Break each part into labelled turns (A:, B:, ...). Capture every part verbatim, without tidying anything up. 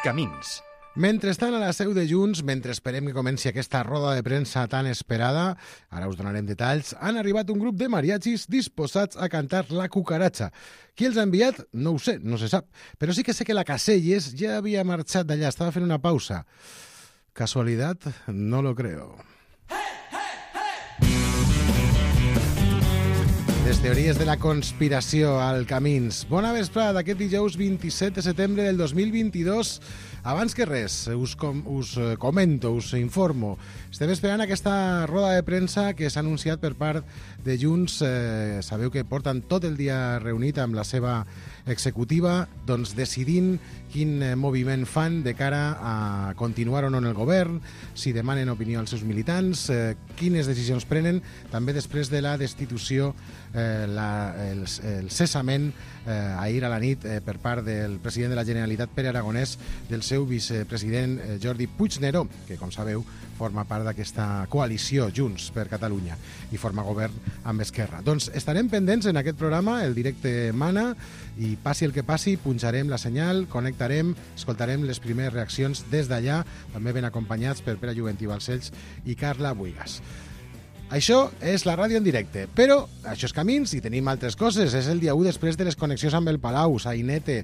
A: Camins.
B: Mentrestant, a la seu de Junts, mentre esperem que comenci aquesta roda de premsa tan esperada, ara us donarem detalls, han arribat un grup de mariachis disposats a cantar La Cucaratxa. Qui els ha enviat? No ho sé, no se sap. Però sí que sé que la Caselles ja havia marxat d'allà, estava fent una pausa. ¿Casualidad? No lo creo. Les teories de la conspiració al Camins. Bona vesprada d'aquest dijous vint-i-set de setembre del dos mil vint-i-dos. Abans que res, us, com, us comento, us informo. Estem esperant aquesta roda de premsa que s'ha anunciat per part de Junts. Eh, sabeu que porten tot el dia reunit amb la seva executiva, doncs decidint quin moviment fan de cara a continuar o no en el govern, si demanen opinió als seus militants, eh, quines decisions prenen, també després de la destitució, eh, la, el, el cessament eh, ahir a la nit eh, per part del president de la Generalitat, Pere Aragonès, del seu vicepresident eh, Jordi Puigneró, que, com sabeu, forma part d'aquesta coalició Junts per Catalunya i forma govern amb Esquerra. Doncs estarem pendents en aquest programa, el directe mana, i passi el que passi, punxarem la senyal, connectarem, escoltarem les primeres reaccions des d'allà, també ben acompanyats per Pere Juventí Balcells i Carla Buigas. Això és la ràdio en directe, però això és Camins i tenim altres coses. És el dia u després de les connexions amb el Palau, Sainete,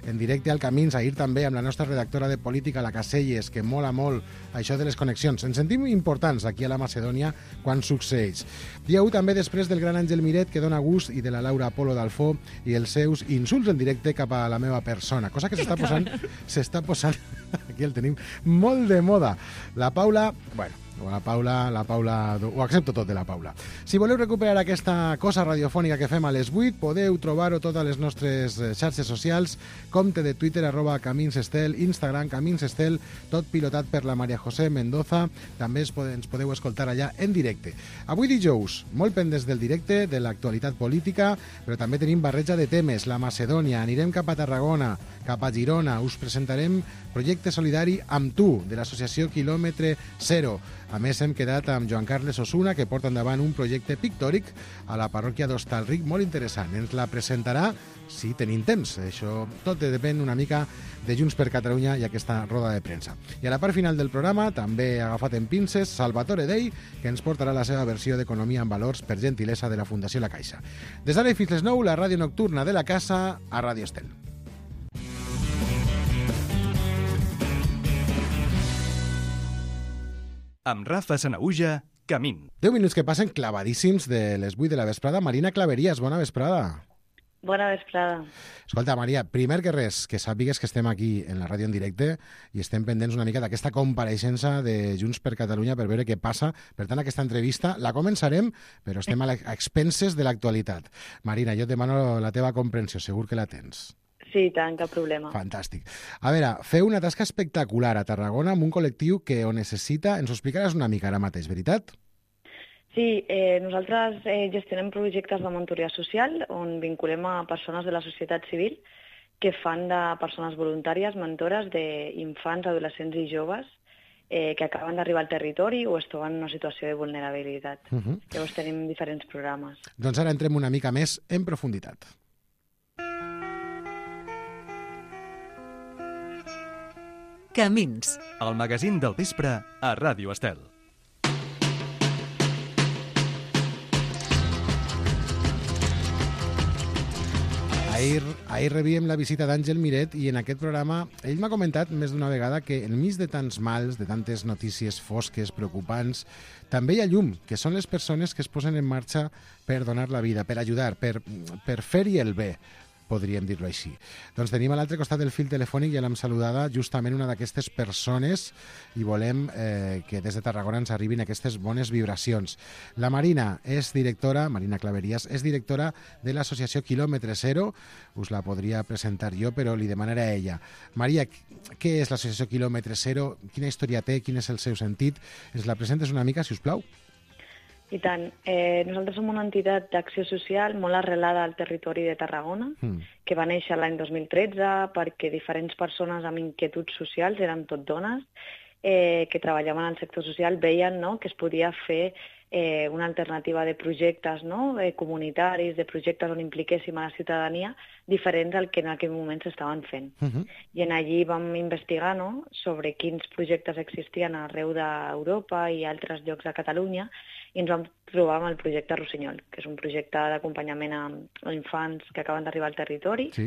B: en directe al Camins, ahir també amb la nostra redactora de política, la Caselles, que mola molt això de les connexions. Ens sentim importants aquí a la Macedònia quan succeeix. Dia u també després del gran Àngel Miret, que dona gust, i de la Laura Polo d'Alfó i els seus insults en directe cap a la meva persona, cosa que s'està posant, s'està posant, aquí el tenim, molt de moda. La Paula, bueno, la Paula, la Paula, ho accepto tot de la Paula. Si voleu recuperar aquesta cosa radiofònica que fem a les vuit, podeu trobar-ho totes les nostres xarxes socials, compte de Twitter, arroba Camins Estel, Instagram, Camins Estel, tot pilotat per la Maria José Mendoza. També ens podeu escoltar allà en directe. Avui dijous, molt pendents del directe, de l'actualitat política, però també tenim barreja de temes, la Macedònia, anirem cap a Tarragona, cap a Girona, us presentarem projecte solidari amb tu, de l'associació Quilòmetre Zero. A més, hem quedat amb Joan Carles Osuna, que porta endavant un projecte pictòric a la parròquia d'Hostalric, molt interessant. Ens la presentarà si tenim temps. Això tot depèn una mica de Junts per Catalunya i aquesta roda de premsa. I a la part final del programa, també agafat en pinces, Salvatore Dei, que ens portarà la seva versió d'Economia en Valors per gentilesa de la Fundació La Caixa. Des d'ara i fins les nou, la ràdio nocturna de la casa a Ràdio Estel.
A: Amb Rafa Sanaüja, Camins.
B: deu minuts que passen clavadíssims de les vuit de la vesprada. Marina Claveries, bona vesprada.
C: Bona vesprada.
B: Escolta, Maria, primer que res, que sàpigues que estem aquí en la ràdio en directe i estem pendents una mica d'aquesta compareixença de Junts per Catalunya per veure què passa. Per tant, aquesta entrevista la començarem, però estem a expenses de l'actualitat. Marina, jo et demano la teva comprensió, segur que la tens.
C: Sí, tant, cap problema.
B: Fantàstic. A veure, feu una tasca espectacular a Tarragona amb un col·lectiu que ho necessita. Ens ho explicaràs una mica ara mateix, veritat?
C: Sí, eh, nosaltres eh, gestionem projectes de mentoria social on vinculem a persones de la societat civil que fan de persones voluntàries, mentores d'infants, adolescents i joves eh, que acaben d'arribar al territori o es troben en una situació de vulnerabilitat. Uh -huh. Llavors tenim diferents programes.
B: Doncs ara entrem una mica més en profunditat.
A: Camins, el magazín del vespre a Ràdio Estel.
B: Ahir, ahir rebíem la visita d'Àngel Miret i en aquest programa ell m'ha comentat més d'una vegada que enmig de tants mals, de tantes notícies fosques, preocupants, també hi ha llum, que són les persones que es posen en marxa per donar la vida, per ajudar, per, per fer-hi el bé, podríem dir-ho així. Doncs tenim a l'altre costat del fil telefònic, ja l'hem saludada, justament una d'aquestes persones i volem eh, que des de Tarragona ens arribin aquestes bones vibracions. La Marina és directora, Marina Claveries, és directora de l'associació Quilòmetre Zero. Us la podria presentar jo, però li demanaré a ella. Maria, què és l'associació Quilòmetre Zero? Quina història té? Quin és el seu sentit? Ens la presentes una mica, si us plau?
C: I tant. Eh, nosaltres som una entitat d'acció social molt arrelada al territori de Tarragona, mm. que va néixer l'any dos mil tretze perquè diferents persones amb inquietuds socials, eren tot dones, eh, que treballaven en el sector social veien, no?, que es podia fer eh, una alternativa de projectes, no?, eh, comunitaris, de projectes on impliquéssim a la ciutadania, diferents al que en aquell moment s'estaven fent. Uh-huh. I en allí vam investigar, no?, sobre quins projectes existien arreu d'Europa i altres llocs de Catalunya, i ens vam trobar amb el projecte Rossinyol, que és un projecte d'acompanyament a, a infants que acaben d'arribar al territori, sí.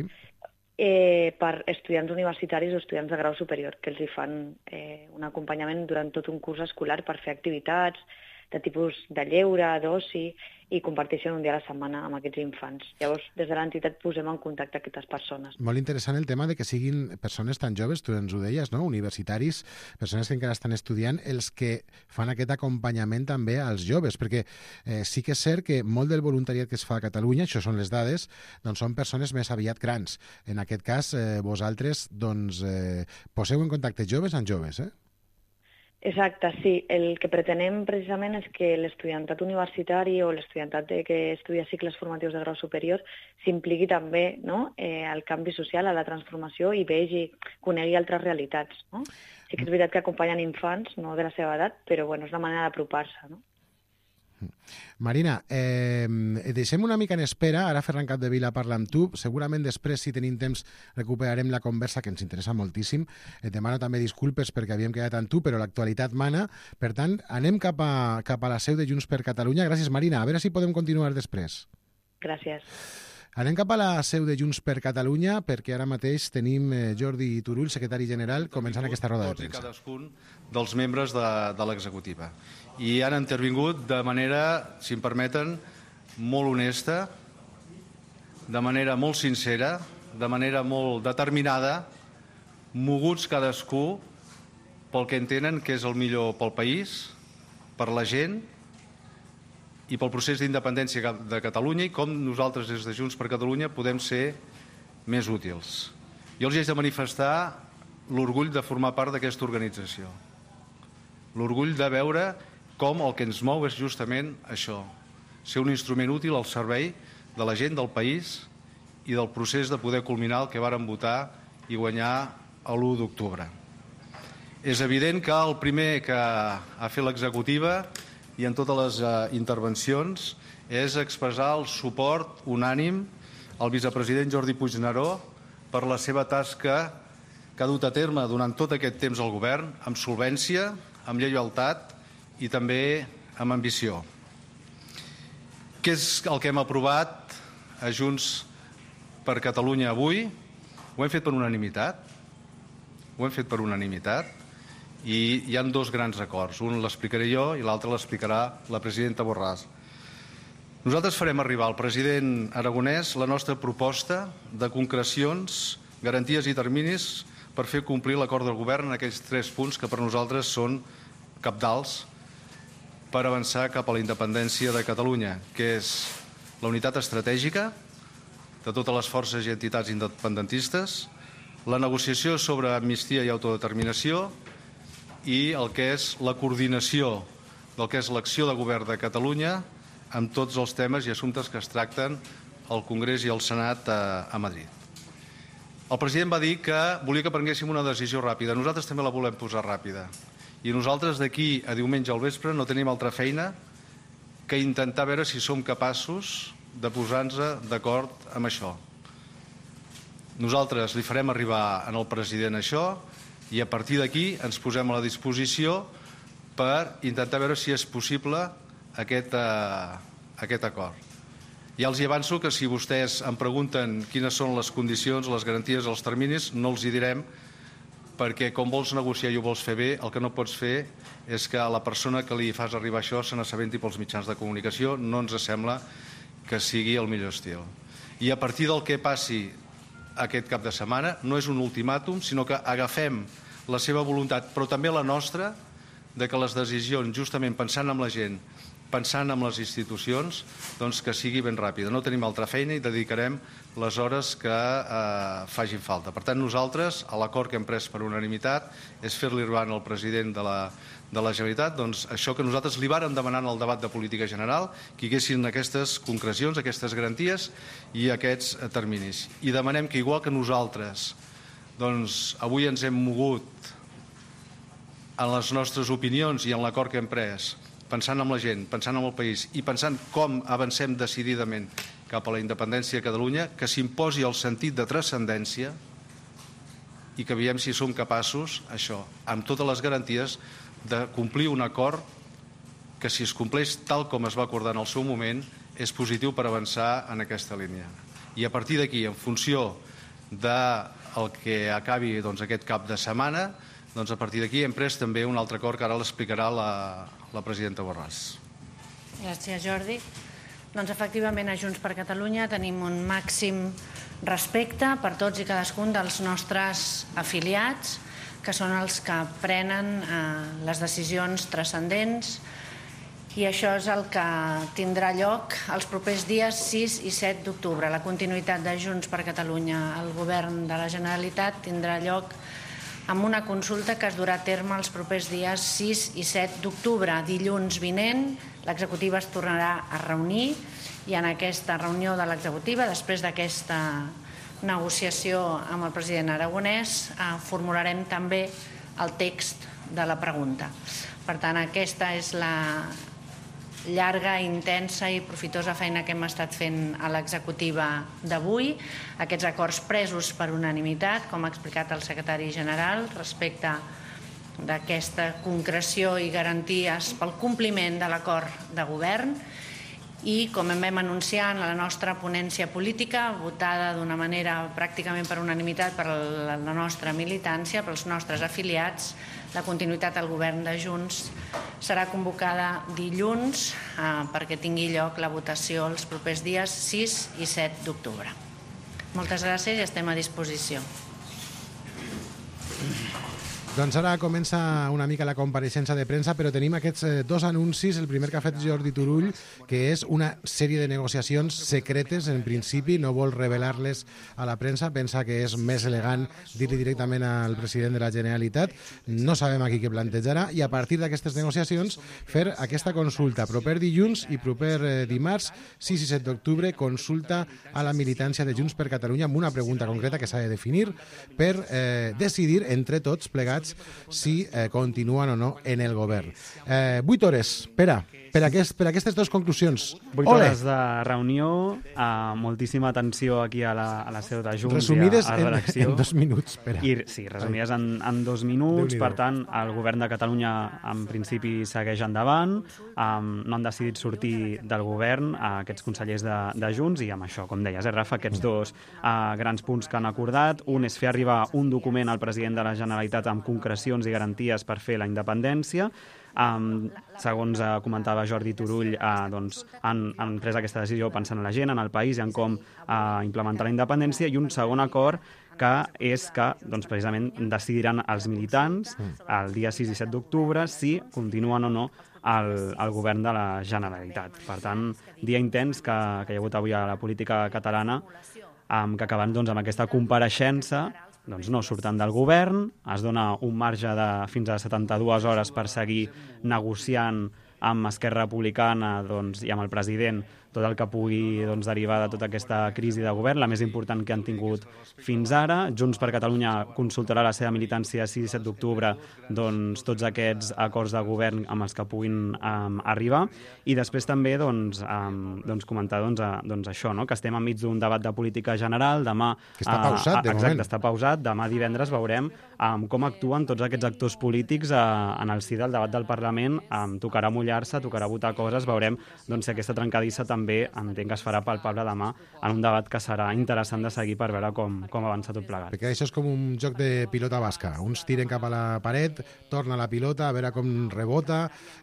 C: eh, per estudiants universitaris o estudiants de grau superior, que els hi fan eh, un acompanyament durant tot un curs escolar per fer activitats de tipus de lleure, d'oci, i comparteixen un dia a la setmana amb aquests infants. Llavors, des de l'entitat posem en contacte aquestes persones.
B: Molt interessant el tema de que siguin persones tan joves, tu ens ho deies, no?, universitaris, persones que encara estan estudiant, els que fan aquest acompanyament també als joves, perquè eh, sí que és cert que molt del voluntariat que es fa a Catalunya, això són les dades, doncs són persones més aviat grans. En aquest cas, eh, vosaltres doncs, eh, poseu en contacte joves amb joves, eh?
C: Exacte, sí. El que pretenem precisament és que l'estudiantat universitari o l'estudiantat que estudia cicles formatius de grau superior s'impliqui també, no?, eh, al canvi social, a la transformació, i vegi, conegui altres realitats, no? Sí que és veritat que acompanyen infants, no de la seva edat, però bueno, és la manera d'apropar-se, no?
B: Marina, eh, deixem una mica en espera. Ara Ferran Capdevila parla amb tu. Segurament després, si tenim temps, recuperarem la conversa, que ens interessa moltíssim. Et demano també disculpes perquè havíem quedat amb tu, però l'actualitat mana. Per tant, anem cap a, cap a la seu de Junts per Catalunya. Gràcies, Marina. A veure si podem continuar després.
C: Gràcies.
B: Anem cap a la seu de Junts per Catalunya, perquè ara mateix tenim Jordi Turull, secretari general, començant aquesta roda de premsa.
D: Tots i cadascun dels membres de, de l'executiva. I han intervingut de manera, si em permeten, molt honesta, de manera molt sincera, de manera molt determinada, moguts cadascú pel que entenen que és el millor pel país, per la gent i pel procés d'independència de Catalunya, i com nosaltres des de Junts per Catalunya podem ser més útils. Jo els he de manifestar l'orgull de formar part d'aquesta organització, l'orgull de veure com el que ens mou és justament això, ser un instrument útil al servei de la gent del país i del procés de poder culminar el que vàrem votar i guanyar l'u d'octubre. És evident que el primer que ha fet l'executiva i en totes les uh, intervencions és expressar el suport unànim al vicepresident Jordi Puigneró per la seva tasca que ha dut a terme durant tot aquest temps al govern, amb solvència, amb lleialtat i també amb ambició. Què és el que hem aprovat a Junts per Catalunya avui? Ho hem fet per unanimitat. Ho hem fet per unanimitat i hi ha dos grans acords. Un l'explicaré jo i l'altre l'explicarà la presidenta Borràs. Nosaltres farem arribar al president Aragonès la nostra proposta de concrecions, garanties i terminis per fer complir l'acord del govern en aquells tres punts que per nosaltres són cabdals per avançar cap a la independència de Catalunya, que és la unitat estratègica de totes les forces i entitats independentistes, la negociació sobre amnistia i autodeterminació i el que és la coordinació del que és l'acció de govern de Catalunya amb tots els temes i assumptes que es tracten al Congrés i al Senat a, a Madrid. El president va dir que volia que prenguéssim una decisió ràpida. Nosaltres també la volem posar ràpida. I nosaltres d'aquí a diumenge al vespre no tenim altra feina que intentar veure si som capaços de posar-nos d'acord amb això. Nosaltres li farem arribar al president això i a partir d'aquí ens posem a la disposició per intentar veure si és possible aquest, eh, aquest acord. Ja els hi avanço que si vostès em pregunten quines són les condicions, les garanties, els terminis, no els hi direm, perquè com vols negociar i ho vols fer bé, el que no pots fer és que a la persona que li fas arribar això se n'assabenti pels mitjans de comunicació. No ens sembla que sigui el millor estil. I a partir del que passi aquest cap de setmana, no és un ultimàtum, sinó que agafem la seva voluntat, però també la nostra, de que les decisions, justament pensant en la gent, pensant en les institucions, doncs que sigui ben ràpida. No tenim altra feina i dedicarem les hores que eh, facin falta. Per tant, nosaltres, a l'acord que hem pres per unanimitat, és fer-li arribar al president de la, de la Generalitat doncs, això que nosaltres li vàrem demanar en el debat de política general, que hi haguessin aquestes concrecions, aquestes garanties i aquests terminis. I demanem que, igual que nosaltres, doncs, avui ens hem mogut en les nostres opinions i en l'acord que hem pres, pensant en la gent, pensant en el país i pensant com avancem decididament cap a la independència de Catalunya, que s'imposi el sentit de transcendència i que veiem si som capaços, això, amb totes les garanties, de complir un acord que, si es compleix tal com es va acordar en el seu moment, és positiu per avançar en aquesta línia. I a partir d'aquí, en funció del que acabi doncs, aquest cap de setmana, doncs a partir d'aquí hem pres també un altre acord que ara l'explicarà la, la presidenta Borràs.
E: Gràcies, Jordi. Doncs efectivament a Junts per Catalunya tenim un màxim respecte per tots i cadascun dels nostres afiliats, que són els que prenen eh, les decisions transcendents, i això és el que tindrà lloc els propers dies sis i set d'octubre. La continuïtat de Junts per Catalunya al govern de la Generalitat tindrà lloc amb una consulta que es durà a terme els propers dies sis i set d'octubre. Dilluns vinent l'executiva es tornarà a reunir i en aquesta reunió de l'executiva, després d'aquesta negociació amb el president aragonès, formularem també el text de la pregunta. Per tant, aquesta és la llarga, intensa i profitosa feina que hem estat fent a l'executiva d'avui. Aquests acords presos per unanimitat, com ha explicat el secretari general, respecte d'aquesta concreció i garanties pel compliment de l'acord de govern. I, com en vam anunciar en la nostra ponència política, votada d'una manera pràcticament per unanimitat per la nostra militància, pels nostres afiliats, la continuïtat al govern de Junts serà convocada dilluns eh, perquè tingui lloc la votació els propers dies sis i set d'octubre. Moltes gràcies i estem a disposició.
B: Doncs ara comença una mica la compareixença de premsa, però tenim aquests eh, dos anuncis. El primer que ha fet Jordi Turull, que és una sèrie de negociacions secretes, en principi, no vol revelar-les a la premsa, pensa que és més elegant dir-li directament al president de la Generalitat. No sabem aquí què plantejarà, i a partir d'aquestes negociacions fer aquesta consulta. Proper dilluns i proper eh, dimarts, sis i set d'octubre, consulta a la militància de Junts per Catalunya amb una pregunta concreta que s'ha de definir per eh, decidir entre tots plegats si eh, continuen o no en el govern. Eh, vuit hores, Pere, per, aquest, per aquestes dues conclusions.
F: Vuit
B: Ole!
F: hores de reunió, eh, moltíssima atenció aquí a la, a la seu de Junts
B: resumides
F: i a, a la redacció.
B: En, en dos minuts, Pere.
F: I, sí, resumides en, en dos minuts. Per tant, el govern de Catalunya en principi segueix endavant. Um, no han decidit sortir del govern uh, aquests consellers de, de Junts, i amb això, com deies, eh, Rafa, aquests dos uh, grans punts que han acordat. Un és fer arribar un document al president de la Generalitat amb concrecions i garanties per fer la independència. Um, segons uh, comentava Jordi Turull, uh, doncs, han, han pres aquesta decisió pensant en la gent, en el país i en com uh, implementar la independència. I un segon acord que és que doncs, precisament decidiran els militants el dia sis i set d'octubre si continuen o no al, al govern de la Generalitat. Per tant, dia intens que, que hi ha hagut avui a la política catalana, um, que acabant doncs, amb aquesta compareixença doncs no surten del govern, es dona un marge de fins a setanta-dues hores per seguir negociant amb Esquerra Republicana doncs, i amb el president tot el que pugui doncs, derivar de tota aquesta crisi de govern, la més important que han tingut fins ara. Junts per Catalunya consultarà la seva militància sis i set d'octubre doncs, tots aquests acords de govern amb els que puguin um, arribar. I després també doncs, um, doncs, comentar doncs, a, doncs, això, no? Que estem enmig d'un debat de política general. Demà,
B: que està pausat, de
F: uh,
B: moment.
F: Exacte, està pausat. Demà divendres veurem um, com actuen tots aquests actors polítics uh, en el si del debat del Parlament. Um, tocarà mullar-se, tocarà votar coses, veurem doncs, si aquesta trencadissa també entenc que es farà palpable demà en un debat que serà interessant de seguir per veure com, com avança tot plegat.
B: Perquè això és com un joc de pilota basca. Uns tiren cap a la paret, torna la pilota, a veure com rebota,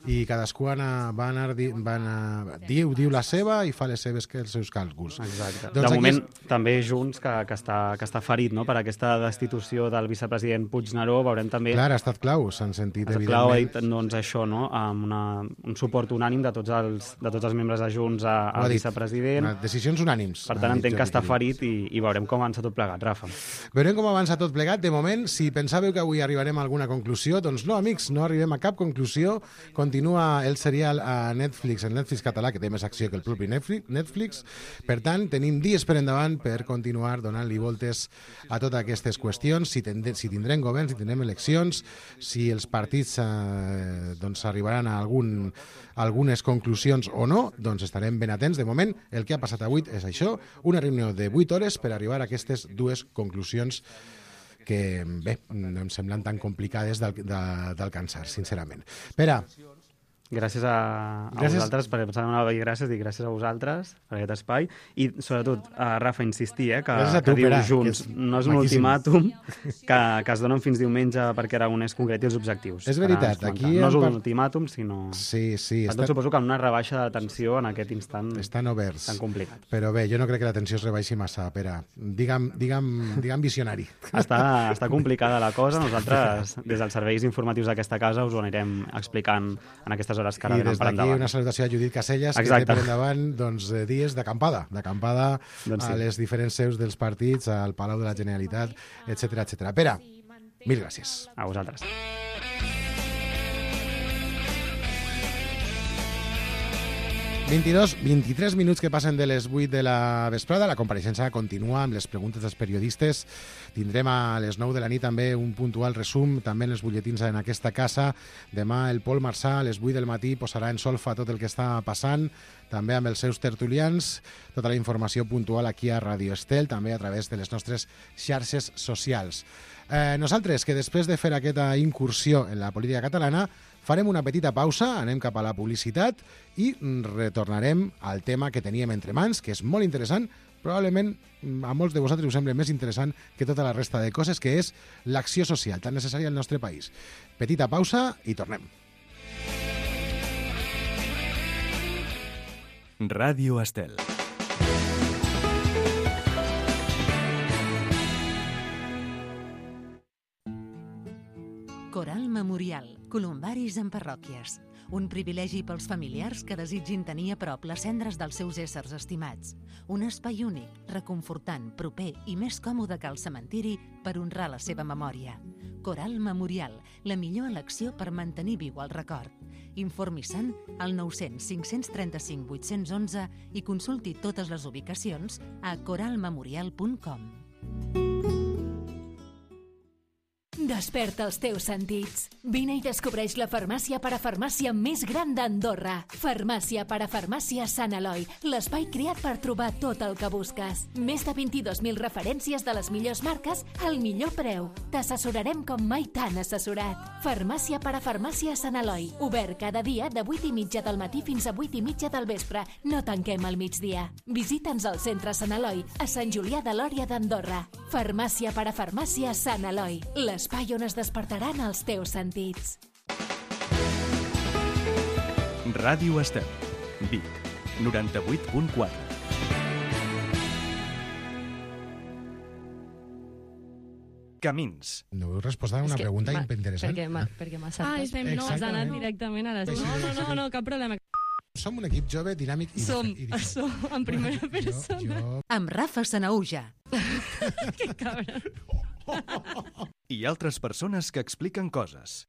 B: i cadascú ana, va anar, va anar, diu, diu la seva i fa les seves que els seus càlculs.
F: Exacte.
B: Doncs
F: de moment,
B: és...
F: també Junts, que, que, està, que està ferit no? per aquesta destitució del vicepresident Puigneró, veurem també...
B: Clar, ha estat clau, s'han sentit,
F: evidentment.
B: evidentment.
F: Clau ha dit doncs, això, no? amb una, un suport unànim de tots els, de tots els membres de Junts a el vicepresident.
B: Decisions unànims.
F: Per tant, entenc que està ferit i, i veurem com avança tot plegat, Rafa.
B: Veurem com avança tot plegat. De moment, si pensàveu que avui arribarem a alguna conclusió, doncs no, amics, no arribem a cap conclusió. Continua el serial a Netflix, el Netflix català, que té més acció que el propi Netflix. Per tant, tenim dies per endavant per continuar donant-li voltes a totes aquestes qüestions, si, tendrem, si tindrem govern, si tindrem eleccions, si els partits eh, doncs arribaran a algun, algunes conclusions o no, doncs estarem ben atents. De moment, el que ha passat avui és això, una reunió de vuit hores per arribar a aquestes dues conclusions que, bé, no em semblen tan complicades d'alcançar, sincerament. Pere,
F: gràcies a, a gràcies. vosaltres, perquè pensava una vegada gràcies, dic gràcies a vosaltres per aquest espai, i sobretot a Rafa insistir, eh, que,
B: tu,
F: que diu
B: Pere,
F: junts,
B: que
F: no és un maquíssim. ultimàtum, que, que es donen fins diumenge perquè Aragonès concreti els objectius.
B: És veritat, aquí...
F: No és un ultimàtum, sinó...
B: Sí, sí.
F: Per tot suposo que una rebaixa de tensió en aquest instant
B: estan oberts.
F: Tan complicat.
B: Però bé, jo no crec que la tensió es rebaixi massa, Pere. Digue'm, digue'm, digue'm visionari.
F: Està, està complicada la cosa. Nosaltres, des dels serveis informatius d'aquesta casa, us ho anirem explicant en aquestes hores que ara venen per endavant.
B: I una salutació a Judit Casellas,
F: Exacte.
B: que té per endavant doncs, dies d'acampada, d'acampada doncs sí. a les diferents seus dels partits, al Palau de la Generalitat, etcètera, etcètera. Pere, mil gràcies.
F: A vosaltres.
B: vint-i-dos, vint-i-tres minuts que passen de les vuit de la vesprada. La compareixença continua amb les preguntes dels periodistes. Tindrem a les nou de la nit també un puntual resum, també en els butlletins en aquesta casa. Demà el Pol Marçà a les vuit del matí posarà en solfa tot el que està passant, també amb els seus tertulians. Tota la informació puntual aquí a Radio Estel, també a través de les nostres xarxes socials. Eh, nosaltres, que després de fer aquesta incursió en la política catalana, farem una petita pausa, anem cap a la publicitat i retornarem al tema que teníem entre mans, que és molt interessant, probablement a molts de vosaltres us sembla més interessant que tota la resta de coses, que és l'acció social tan necessària al nostre país. Petita pausa i tornem.
A: Ràdio Estel.
G: Coral Memorial, columbaris en parròquies. Un privilegi pels familiars que desitgin tenir a prop les cendres dels seus éssers estimats. Un espai únic, reconfortant, proper i més còmode que el cementiri per honrar la seva memòria. Coral Memorial, la millor elecció per mantenir viu el record. Informi-se'n al nou cents cinc-cents trenta-cinc vuit-cents onze i consulti totes les ubicacions a coral memorial punt com.
H: Desperta els teus sentits. Vine i descobreix la farmàcia parafarmàcia més gran d'Andorra. Farmàcia parafarmàcia Sant Eloi, l'espai creat per trobar tot el que busques. Més de vint-i-dos mil referències de les millors marques al millor preu. T'assessorarem com mai t'han assessorat. Farmàcia parafarmàcia Sant Eloi, obert cada dia de vuit i mitja del matí fins a vuit i mitja del vespre. No tanquem al migdia. Visita'ns al centre Sant Eloi, a Sant Julià de Lòria d'Andorra. Farmàcia parafarmàcia Sant Eloi, l'espai on es despertaran els teus sentits.
A: Ràdio Estel, Vic, noranta-vuit punt quatre. Camins.
B: No heu respost a una pregunta interessant.
I: Perquè m'ha saltat. Ah, no, has anat directament a les... No, no, no, no, cap problema.
B: Som un equip jove, dinàmic i...
I: Som, som, en primera persona.
B: Jo, jo...
G: Amb Rafa Sanaúja.
I: Que cabra.
A: I altres persones que expliquen coses.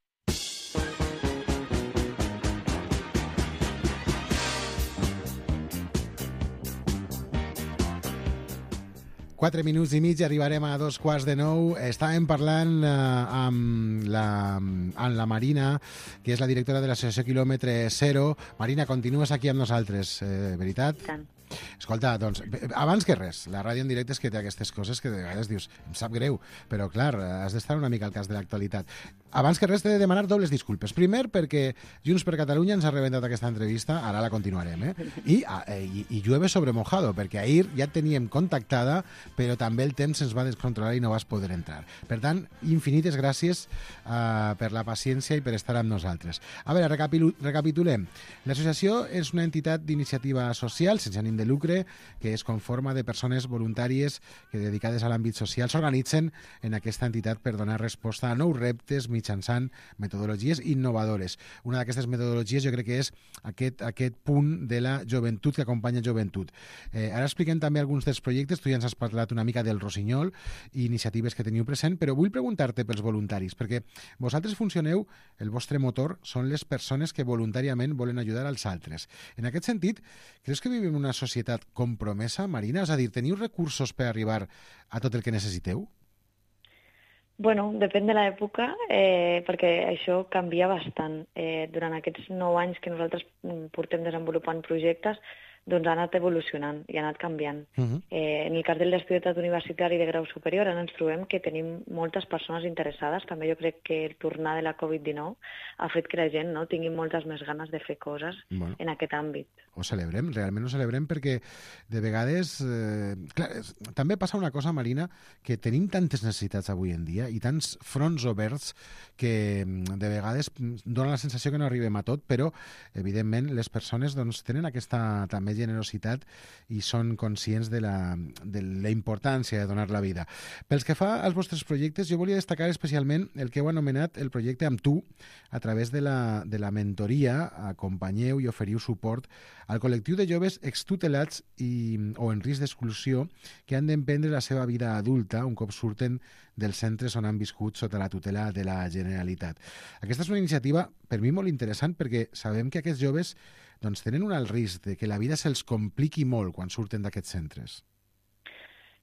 B: Quatre minuts i mig, arribarem a dos quarts de nou. Estàvem parlant eh, amb, la, amb la Marina, que és la directora de l'associació Quilòmetre Zero. Marina, continues aquí amb nosaltres, eh, veritat?
C: Tant.
B: Escolta, doncs, abans que res, la ràdio en directe és que té aquestes coses que de vegades dius, em sap greu, però clar, has d'estar una mica al cas de l'actualitat. Abans que res t'he de demanar dobles disculpes. Primer, perquè Junts per Catalunya ens ha rebentat aquesta entrevista, ara la continuarem, eh? I, i, i llueve sobre mojado, perquè ahir ja et teníem contactada, però també el temps ens va descontrolar i no vas poder entrar. Per tant, infinites gràcies uh, per la paciència i per estar amb nosaltres. A veure, recapitulem. L'associació és una entitat d'iniciativa social, sense ànim de de lucre que es conforma de persones voluntàries que dedicades a l'àmbit social s'organitzen en aquesta entitat per donar resposta a nous reptes mitjançant metodologies innovadores. Una d'aquestes metodologies jo crec que és aquest, aquest punt de la joventut que acompanya joventut. Eh, ara expliquem també alguns dels projectes, tu ja ens has parlat una mica del Rossinyol i iniciatives que teniu present, però vull preguntar-te pels voluntaris, perquè vosaltres funcioneu, el vostre motor són les persones que voluntàriament volen ajudar als altres. En aquest sentit, creus que vivim en una societat compromesa, Marina? És a dir, teniu recursos per arribar a tot el que necessiteu?
C: Bueno, depèn de l'època, eh, perquè això canvia bastant. Eh, durant aquests nou anys que nosaltres portem desenvolupant projectes, doncs ha anat evolucionant i ha anat canviant. Uh-huh. eh, en el cas de l'estudiantat universitari de grau superior ara ens trobem que tenim moltes persones interessades. També jo crec que el tornar de la covid dinou ha fet que la gent no, tingui moltes més ganes de fer coses bueno, en aquest àmbit.
B: Ho celebrem, realment ho celebrem, perquè de vegades... Eh, clar, també passa una cosa, Marina, que tenim tantes necessitats avui en dia i tants fronts oberts que de vegades dona la sensació que no arribem a tot, però evidentment les persones doncs, tenen aquesta també generositat i són conscients de la, de la importància de donar la vida. Pels que fa als vostres projectes, jo volia destacar especialment el que heu anomenat el projecte Amb tu. A través de la, de la mentoria acompanyeu i oferiu suport al col·lectiu de joves extutelats i, o en risc d'exclusió que han d'emprendre la seva vida adulta un cop surten dels centres on han viscut sota la tutela de la Generalitat. Aquesta és una iniciativa per mi molt interessant perquè sabem que aquests joves doncs, tenen un alt risc de que la vida se'ls compliqui molt quan surten d'aquests centres.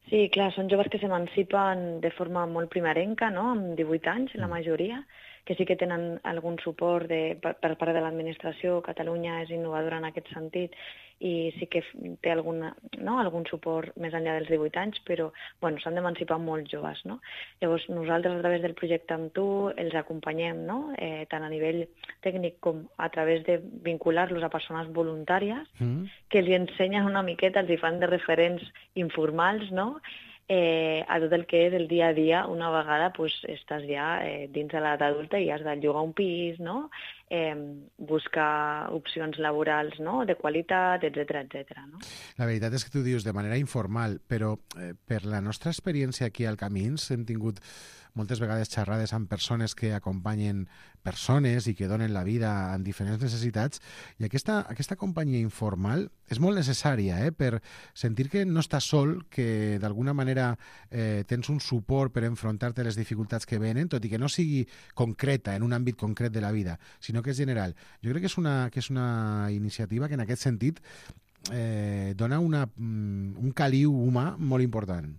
C: Sí, clar, són joves que s'emancipen de forma molt primerenca, no? Amb divuit anys, la majoria, que sí que tenen algun suport de, per, per part de l'administració. Catalunya és innovadora en aquest sentit i sí que té alguna, no? algun suport més enllà dels divuit anys, però bueno, s'han d'emancipar molt joves. No? Llavors, nosaltres, a través del projecte Amb tu, els acompanyem, no? eh, tant a nivell tècnic com a través de vincular-los a persones voluntàries mm. que els ensenyen una miqueta, els hi fan de referents informals, no? Eh, a tot el que és el dia a dia. Una vegada pues, estàs ja eh, dins de l'edat adulta i has de llogar un pis, no? eh, buscar opcions laborals no? de qualitat, etcètera, etcètera. No?
B: La veritat és que tu dius de manera informal, però eh, per la nostra experiència aquí al Camins hem tingut moltes vegades xerrades amb persones que acompanyen persones i que donen la vida en diferents necessitats, i aquesta, aquesta companyia informal és molt necessària eh, per sentir que no estàs sol, que d'alguna manera eh, tens un suport per enfrontar-te a les dificultats que venen, tot i que no sigui concreta en un àmbit concret de la vida, sinó que és general. Jo crec que és una, que és una iniciativa que en aquest sentit eh, dona una, un caliu humà molt important.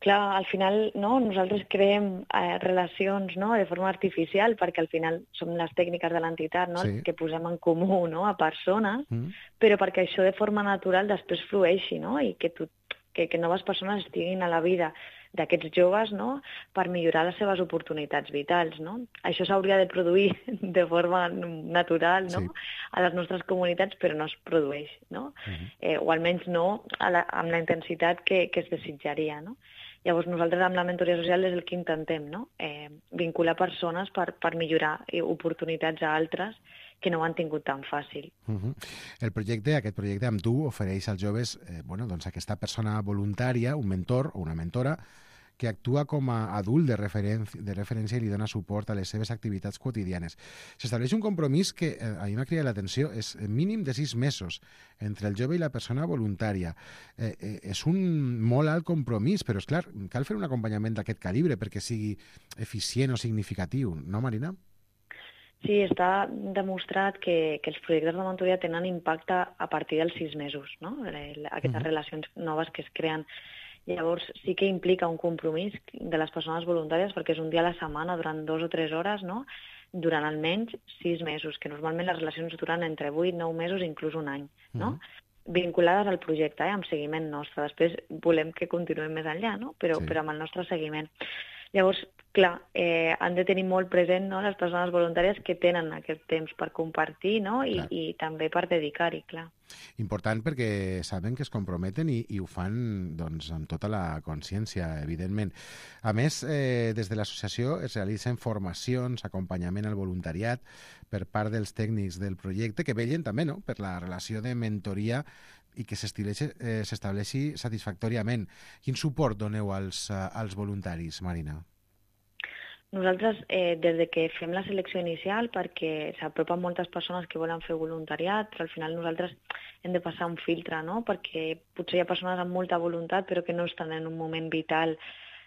C: Clar, al final no, nosaltres creem eh, relacions no, de forma artificial perquè al final som les tècniques de l'entitat no, sí. que posem en comú no, a persones, mm. però perquè això de forma natural després flueixi no, i que, tu, que, que noves persones estiguin a la vida d'aquests joves no, per millorar les seves oportunitats vitals. No? Això s'hauria de produir de forma natural no? sí. a les nostres comunitats, però no es produeix, no? Uh-huh. eh, o almenys no a la, amb la intensitat que, que es desitjaria. No? Llavors nosaltres amb la mentoria social és el que intentem, no? eh, vincular persones per, per millorar oportunitats a altres que no ho han tingut tan fàcil.
B: Uh-huh. El projecte, aquest projecte Amb tu, ofereix als joves eh, bueno, doncs aquesta persona voluntària, un mentor o una mentora, que actua com a adult de, referen de referència i li dona suport a les seves activitats quotidianes. S'estableix un compromís que eh, a mi m'ha cridat l'atenció, és mínim de sis mesos entre el jove i la persona voluntària. Eh, eh, és un molt alt compromís, però és clar, cal fer un acompanyament d'aquest calibre perquè sigui eficient o significatiu, no, Marina?
C: Sí, està demostrat que, que els projectes de mentoria tenen impacte a partir dels sis mesos, no? Aquestes uh-huh. relacions noves que es creen. Llavors sí que implica un compromís de les persones voluntàries perquè és un dia a la setmana durant dos o tres hores, no? Durant almenys sis mesos, que normalment les relacions duran entre vuit, nou mesos, inclús un any, no? Uh-huh. Vinculades al projecte, eh? Amb seguiment nostre. Després volem que continuem més enllà, no? Però, sí. però amb el nostre seguiment. Llavors, clar, eh, han de tenir molt present, no?, les persones voluntàries que tenen aquest temps per compartir, no?, i, i també per dedicar-hi, clar.
B: Important perquè saben que es comprometen i, i ho fan doncs, amb tota la consciència, evidentment. A més, eh, des de l'associació es realitzen formacions, acompanyament al voluntariat per part dels tècnics del projecte, que vetllen també, no?, per la relació de mentoria i que s'estableixi eh, satisfactòriament. Quin suport doneu als, als voluntaris, Marina?
C: Nosaltres, eh, des de que fem la selecció inicial, perquè s'apropen moltes persones que volen fer voluntariat, però al final nosaltres hem de passar un filtre, no?, perquè potser hi ha persones amb molta voluntat però que no estan en un moment vital,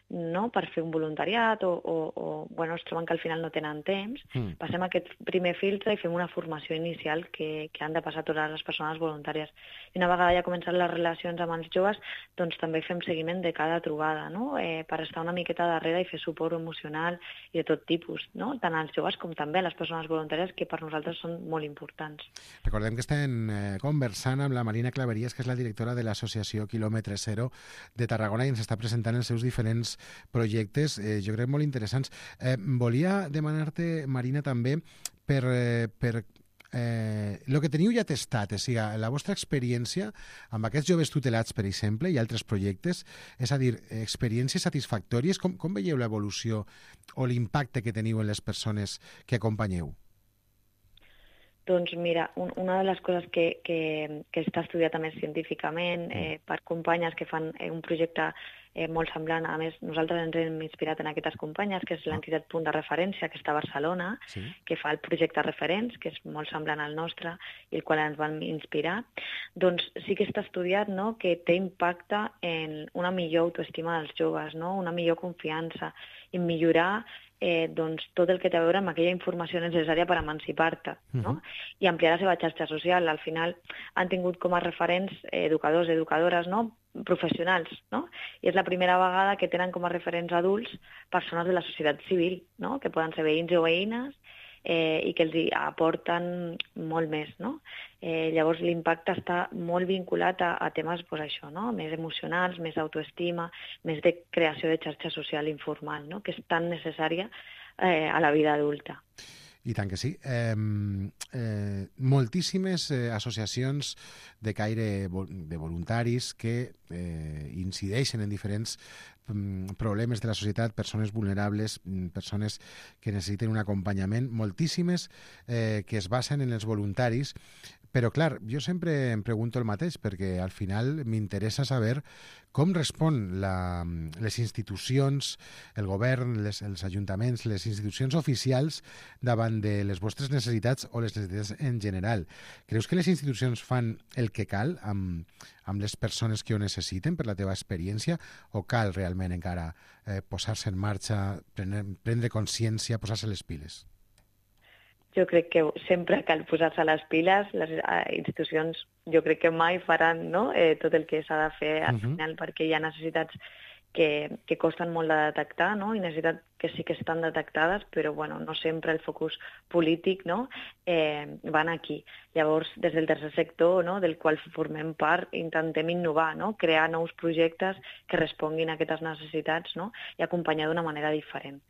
C: no?, per fer un voluntariat o, o, o bueno, es troben que al final no tenen temps. Mm. Passem aquest primer filtre i fem una formació inicial que, que han de passar totes les persones voluntàries. I una vegada ja comencen les relacions amb els joves, doncs també fem seguiment de cada trobada, no?, eh, per estar una miqueta darrere i fer suport emocional i de tot tipus, no?, tant als joves com també a les persones voluntàries, que per nosaltres són molt importants.
B: Recordem que estem eh, conversant amb la Marina Claveries, que és la directora de l'associació Quilòmetre Zero de Tarragona, i ens està presentant els seus diferents projectes, eh, jo crec molt interessants. Eh, volia demanar-te, Marina, també per, eh, per eh, el que teniu ja testat, o sigui, la vostra experiència amb aquests joves tutelats, per exemple, i altres projectes, és a dir, experiències satisfactòries, com, com veieu l'evolució o l'impacte que teniu en les persones que acompanyeu?
C: Doncs mira, un, una de les coses que, que, que està estudiat també científicament eh, per companyes que fan eh, un projecte eh, molt semblant, a més nosaltres ens hem inspirat en aquestes companyes, que és l'entitat Punt de Referència, que està a Barcelona, sí, que fa el projecte Referents, que és molt semblant al nostre, i el qual ens van inspirar, doncs sí que està estudiat, no?, que té impacte en una millor autoestima dels joves, no?, una millor confiança, i millorar Eh, doncs, tot el que té a veure amb aquella informació necessària per emancipar-te, no? Uh-huh. I ampliar la seva xarxa social. Al final han tingut com a referents eh, educadors, educadores, no?, professionals, no? I és la primera vegada que tenen com a referents adults persones de la societat civil, no?, que poden ser veïns o veïnes, eh, i que els hi aporten molt més, no? Eh, llavors l'impacte està molt vinculat a, a temes, pues, això, no?, més emocionals, més autoestima, més de creació de xarxa social informal, no?, que és tan necessària eh, a la vida adulta.
B: I tant que sí. Eh, eh, moltíssimes eh, associacions de caire de voluntaris que eh, incideixen en diferents mm, problemes de la societat, persones vulnerables, persones que necessiten un acompanyament, moltíssimes eh, que es basen en els voluntaris. Però, clar, jo sempre em pregunto el mateix, perquè al final m'interessa saber com respon la, les institucions, el govern, les, els ajuntaments, les institucions oficials davant de les vostres necessitats o les necessitats en general. Creus que les institucions fan el que cal amb, amb les persones que ho necessiten per la teva experiència, o cal realment encara eh, posar-se en marxa, prendre, prendre consciència, posar-se les piles?
C: Jo crec que sempre cal posar-se les piles, les institucions jo crec que mai faran, no?, eh, tot el que s'ha de fer al uh-huh. final, perquè hi ha necessitats que, que costen molt de detectar, no?, i necessitats que sí que estan detectades, però bueno, no sempre el focus polític, no?, eh, van aquí. Llavors, des del tercer sector, no?, del qual formem part, intentem innovar, no?, crear nous projectes que responguin a aquestes necessitats, no?, i acompanyar d'una manera diferent.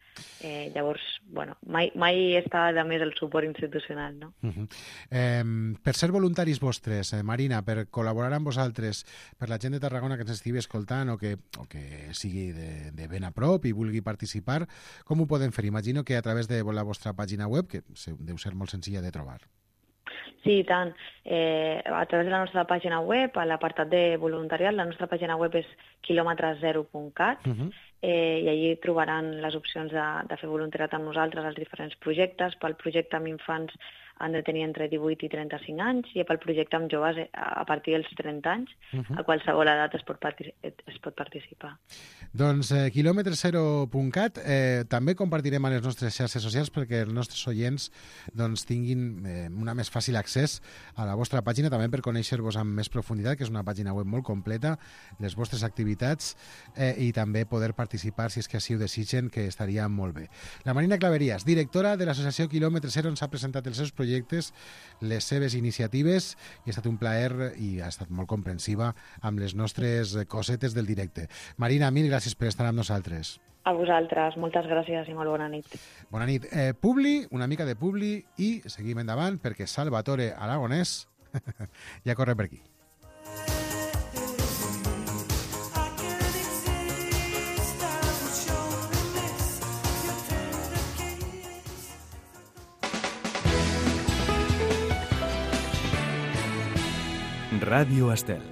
C: Eh, llavors, bueno, mai, mai està de més el suport institucional, no?
B: Uh-huh. eh, per ser voluntaris vostres, eh, Marina, per col·laborar amb vosaltres, per la gent de Tarragona que ens estigui escoltant o que, o que sigui de, de ben a prop i vulgui participar, com ho poden fer? Imagino que a través de la vostra pàgina web, que deu ser molt senzilla de trobar.
C: Sí, i tant. Eh, a través de la nostra pàgina web, a l'apartat de voluntariat, la nostra pàgina web és quilòmetre zero punt cat, uh-huh. eh, i allí trobaran les opcions de, de fer voluntariat amb nosaltres als diferents projectes. Pel projecte amb infants han de tenir entre divuit i trenta-cinc anys, i pel projecte amb joves a partir dels trenta anys, uh-huh. a qualsevol edat es pot, es pot participar.
B: Doncs eh, quilòmetre zero punt cat, eh, també compartirem a les nostres xarxes socials perquè els nostres oients doncs, tinguin eh, una més fàcil accés a la vostra pàgina, també per conèixer-vos amb més profunditat, que és una pàgina web molt completa, les vostres activitats eh, i també poder participar, si és que així ho desitgen, que estaria molt bé. La Marina Claveries, directora de l'associació Quilòmetre Zero, ens ha presentat els seus projectes projectes, les seves iniciatives, i ha estat un plaer i ha estat molt comprensiva amb les nostres cosetes del directe. Marina, mil gràcies per estar amb nosaltres.
C: A vosaltres, moltes gràcies i molt bona nit.
B: Bona nit. Eh, Publi, una mica de Publi, i seguim endavant perquè Salvatore Aragonès ja corre per aquí.
A: Ràdio Estel.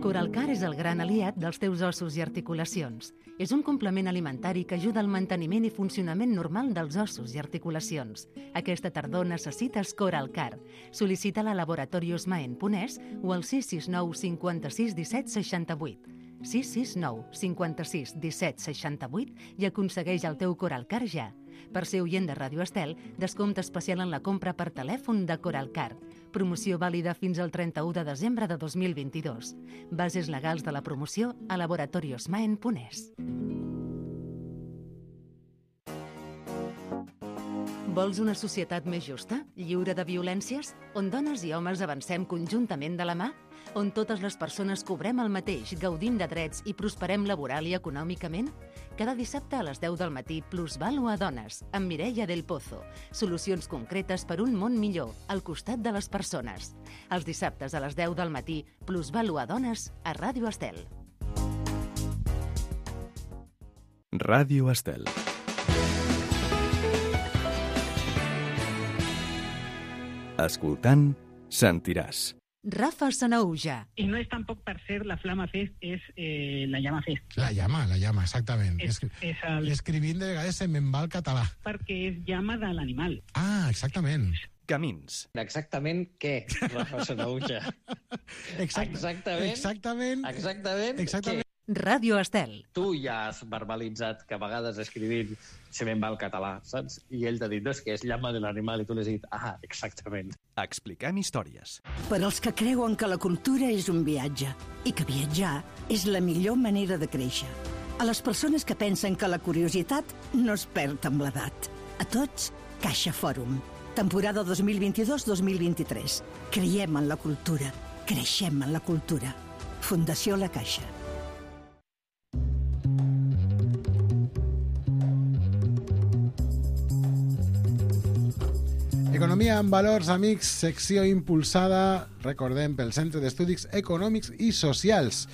G: Coralcar és el gran aliat dels teus ossos i articulacions. És un complement alimentari que ajuda al manteniment i funcionament normal dels ossos i articulacions. Aquesta tardor necessites Coralcar. Sol·licita-la a Laboratorios Maen Ponès o al sis sis nou cinquanta-sis disset seixanta-vuit. sis sis nou cinquanta-sis disset seixanta-vuit i aconsegueix el teu Coralcar ja. Per ser oient de Ràdio Estel, descompte especial en la compra per telèfon de Coralcar. Promoció vàlida fins al trenta-u de desembre de dos mil vint-i-dos. Bases legals de la promoció a Laboratorios Maen Ponès. Vols una societat més justa, lliure de violències, on dones i homes avancem conjuntament de la mà? On totes les persones cobrem el mateix, gaudim de drets i prosperem laboral i econòmicament? Cada dissabte a les deu del matí, Plusvalua Dones, amb Mireia del Pozo. Solucions concretes per un món millor, al costat de les persones. Els dissabtes a les deu del matí, Plusvalua Dones, a Ràdio Estel.
A: Ràdio Estel. Escoltant, sentiràs.
G: Rafa Sanauja.
J: Y no es tampoco per ser la Flama Fest, és eh, la Llama Fest.
B: La llama, la llama, exactament.
J: És, és el...
B: L'escrivint de vegades se me'n va al català.
J: Perquè és llama de l'animal.
B: Ah, exactament.
A: Camins.
K: Exactament què, Rafa Sanauja?
B: Exact,
K: exactament.
B: Exactament.
K: Exactament.
B: Exactament.
G: Ràdio Estel.
K: Tu ja has verbalitzat que a vegades escrivint se me'n va el català, saps? I ell t'ha dit, no, és que és llama de l'animal, i tu l'has dit, ah, exactament.
A: Expliquem històries.
L: Per als que creuen que la cultura és un viatge i que viatjar és la millor manera de créixer. A les persones que pensen que la curiositat no es perd amb l'edat. A tots, Caixa Fòrum. Temporada dos mil vint-i-dos dos mil vint-i-tres. Creiem en la cultura. Creixem en la cultura. Fundació La Caixa.
B: Economia amb valors, amics, secció impulsada, recordem, pel Centre d'Estudis Econòmics i Socials.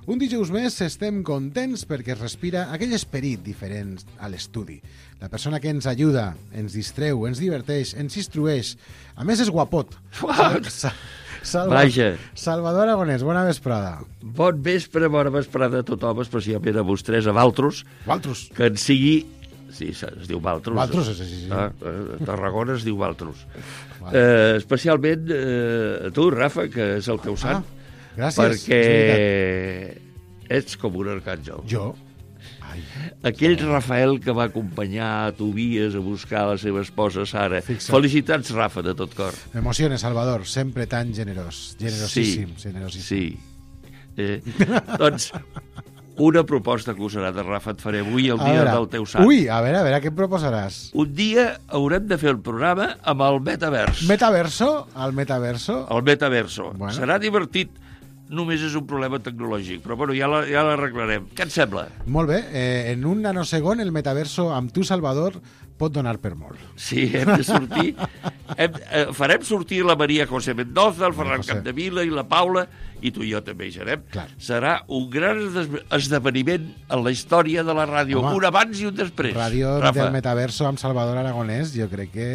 B: Un dijous més estem contents perquè es respira aquell esperit diferent a l'estudi. La persona que ens ajuda, ens distreu, ens diverteix, ens instrueix. A més, és guapot. Sal Salva
M: Vaja.
B: Salvador Aragonès, bona vesprada.
M: Bon vespre, bona vesprada a tothom, especialment a vostès, a Valtros.
B: Valtros.
M: Que en sigui... Sí, es diu Valtros.
B: Valtros, sí, sí. sí.
M: Ah, a Tarragona es diu Valtros. Vale. Eh, especialment eh, a tu, Rafa, que és el teu sant.
B: Ah, gràcies.
M: Perquè ets com un arcàngel.
B: Jo? Ai.
M: Aquell Rafael que va acompanyar a Tobias a buscar la seva esposa Sara. Fixa't. Felicitats, Rafa, de tot cor.
B: M'emociona, Salvador, sempre tan generós. Generosíssim,
M: sí,
B: generosíssim.
M: Sí. Eh, doncs... Una proposta acusarada, Rafa, et faré avui el dia
B: veure,
M: del teu sant.
B: Ui, a veure, a veure, què em proposaràs?
M: Un dia haurem de fer el programa amb el metavers.
B: Metaverso? El metaverso?
M: El metaverso.
B: Bueno.
M: Serà divertit. Només és un problema tecnològic, però bueno, ja l'arreglarem. Ja Què et sembla?
B: Molt bé. Eh, en un nanosegon el metaverso amb tu, Salvador, pot donar per molt.
M: Sí, hem de sortir... hem, eh, farem sortir la Maria José Mendoza, el Ferran
B: José.
M: Capdevila i la Paula, i tu i jo també hi serem.
B: Clar.
M: Serà un gran esdeveniment en la història de la ràdio. Home, un abans i un després.
B: Ràdio
M: Rafa.
B: del metaverso amb Salvador Aragonès, jo crec que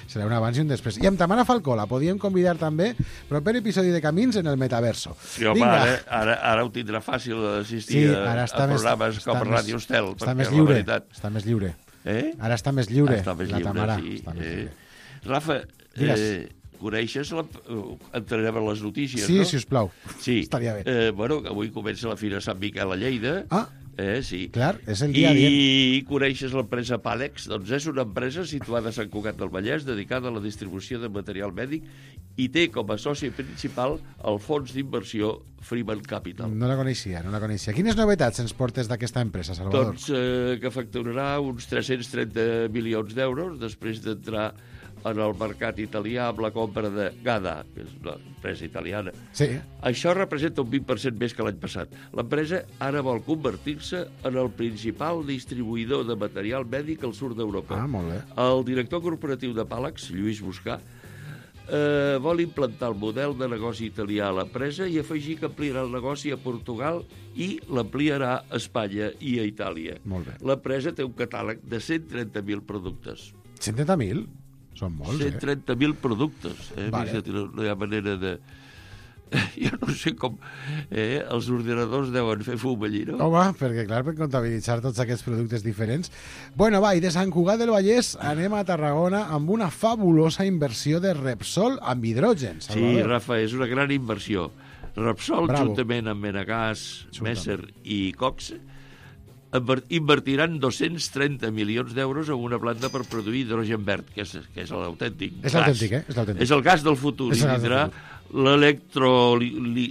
B: serà un abans i un després. I amb Tamara Falcó la podíem convidar també, proper episodi de Camins en el metaverso.
M: Sí, home, ara, ara, ara ho tindrà fàcil d'assistir
B: sí,
M: a, a programes més, com a Ràdio Estel.
B: Està més lliure, està més lliure.
M: Eh?
B: Ara està més lliure,
M: està més
B: la
M: lliure,
B: Tamara.
M: Sí.
B: Està més lliure.
M: Eh? Rafa, eh, coneixes la... entrarem a les notícies,
B: sí,
M: no?
B: Sí, sisplau.
M: Sí.
B: Estaria bé.
M: Eh, bueno, avui comença la Fira Sant Miquel a Lleida.
B: Ah,
M: eh, sí.
B: clar, és el dia
M: I
B: dient.
M: coneixes l'empresa Pàlex? Doncs és una empresa situada a Sant Cugat del Vallès dedicada a la distribució de material mèdic i té com a soci principal el fons d'inversió Freeman Capital.
B: No la coneixia, no la coneixia. Quines novetats ens portes d'aquesta empresa, Salvador?
M: Doncs eh, que facturarà uns tres-cents trenta milions d'euros després d'entrar en el mercat italià amb la compra de Gada, que és una empresa italiana.
B: Sí.
M: Això representa un vint per cent més que l'any passat. L'empresa ara vol convertir-se en el principal distribuïdor de material mèdic al sud d'Europa.
B: Ah, molt bé.
M: El director corporatiu de Pàlex, Lluís Buscà, eh, vol implantar el model de negoci italià a l'empresa i afegir que ampliarà el negoci a Portugal i l'ampliarà a Espanya i a Itàlia.
B: Molt bé.
M: L'empresa té un catàleg de cent trenta mil productes.
B: cent trenta mil? Són molts,
M: cent trenta mil productes. Eh?
B: Vale.
M: No, no hi ha manera de... Jo no sé com... Eh? Els ordinadors deuen fer fum allí, no?
B: Home, perquè clar, per comptabilitzar tots aquests productes diferents. Bueno, va, i de Sant Cugat del Vallès anem a Tarragona amb una fabulosa inversió de Repsol amb hidrogen, Salvador.
M: Sí, Rafa, és una gran inversió. Repsol,
B: Bravo.
M: juntament amb Menagas, Messer i Cox, invertiran dos-cents trenta milions d'euros en una planta per produir hidrogen verd, que és, que és l'autèntic
B: És l'autèntic, eh? És l'autèntic.
M: És el gas del futur.
B: És
M: I
B: el gas del
M: tindrà l'electro... Li, li,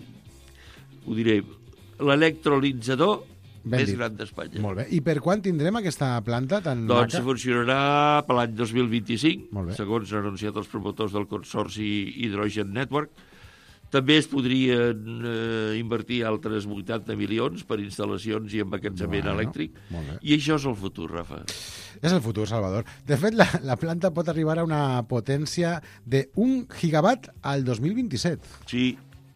M: ho diré, l'electrolitzador
B: Ben
M: més
B: dit.
M: gran d'Espanya.
B: Molt bé. I per quan tindrem aquesta planta tan
M: Doncs
B: maca?
M: funcionarà per l'any dos mil vint-i-cinc,
B: Molt bé.
M: segons han anunciat els promotors del Consorci Hydrogen Network. També es podrien eh, invertir altres vuitanta milions per instal·lacions i emmagatzemament
B: Bueno,
M: elèctric.
B: molt bé.
M: I això és el futur, Rafa.
B: És el futur, Salvador. De fet, la, la planta pot arribar a una potència de un gigawatt al dos mil vint-i-set.
M: Sí,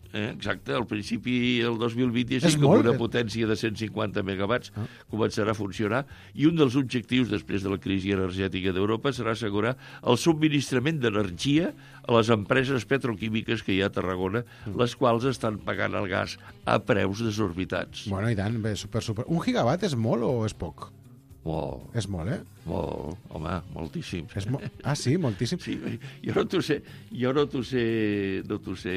M: eh, exacte. Al principi, el dos mil
B: És
M: vint-i-cinc,
B: molt,
M: amb una
B: eh?
M: potència de cent cinquanta megawatts, ah. començarà a funcionar. I un dels objectius, després de la crisi energètica d'Europa, serà assegurar el subministrament d'energia a les empreses petroquímiques que hi ha a Tarragona, mm. les quals estan pagant el gas a preus desorbitats.
B: Bueno, i tant, bé, super, super. Un gigawatt és molt o és poc?
M: Molt.
B: És molt, eh?
M: Molt, home, moltíssim.
B: És mo ah, sí? Moltíssim?
M: Sí, jo no t'ho sé, jo no t'ho sé, no t'ho sé,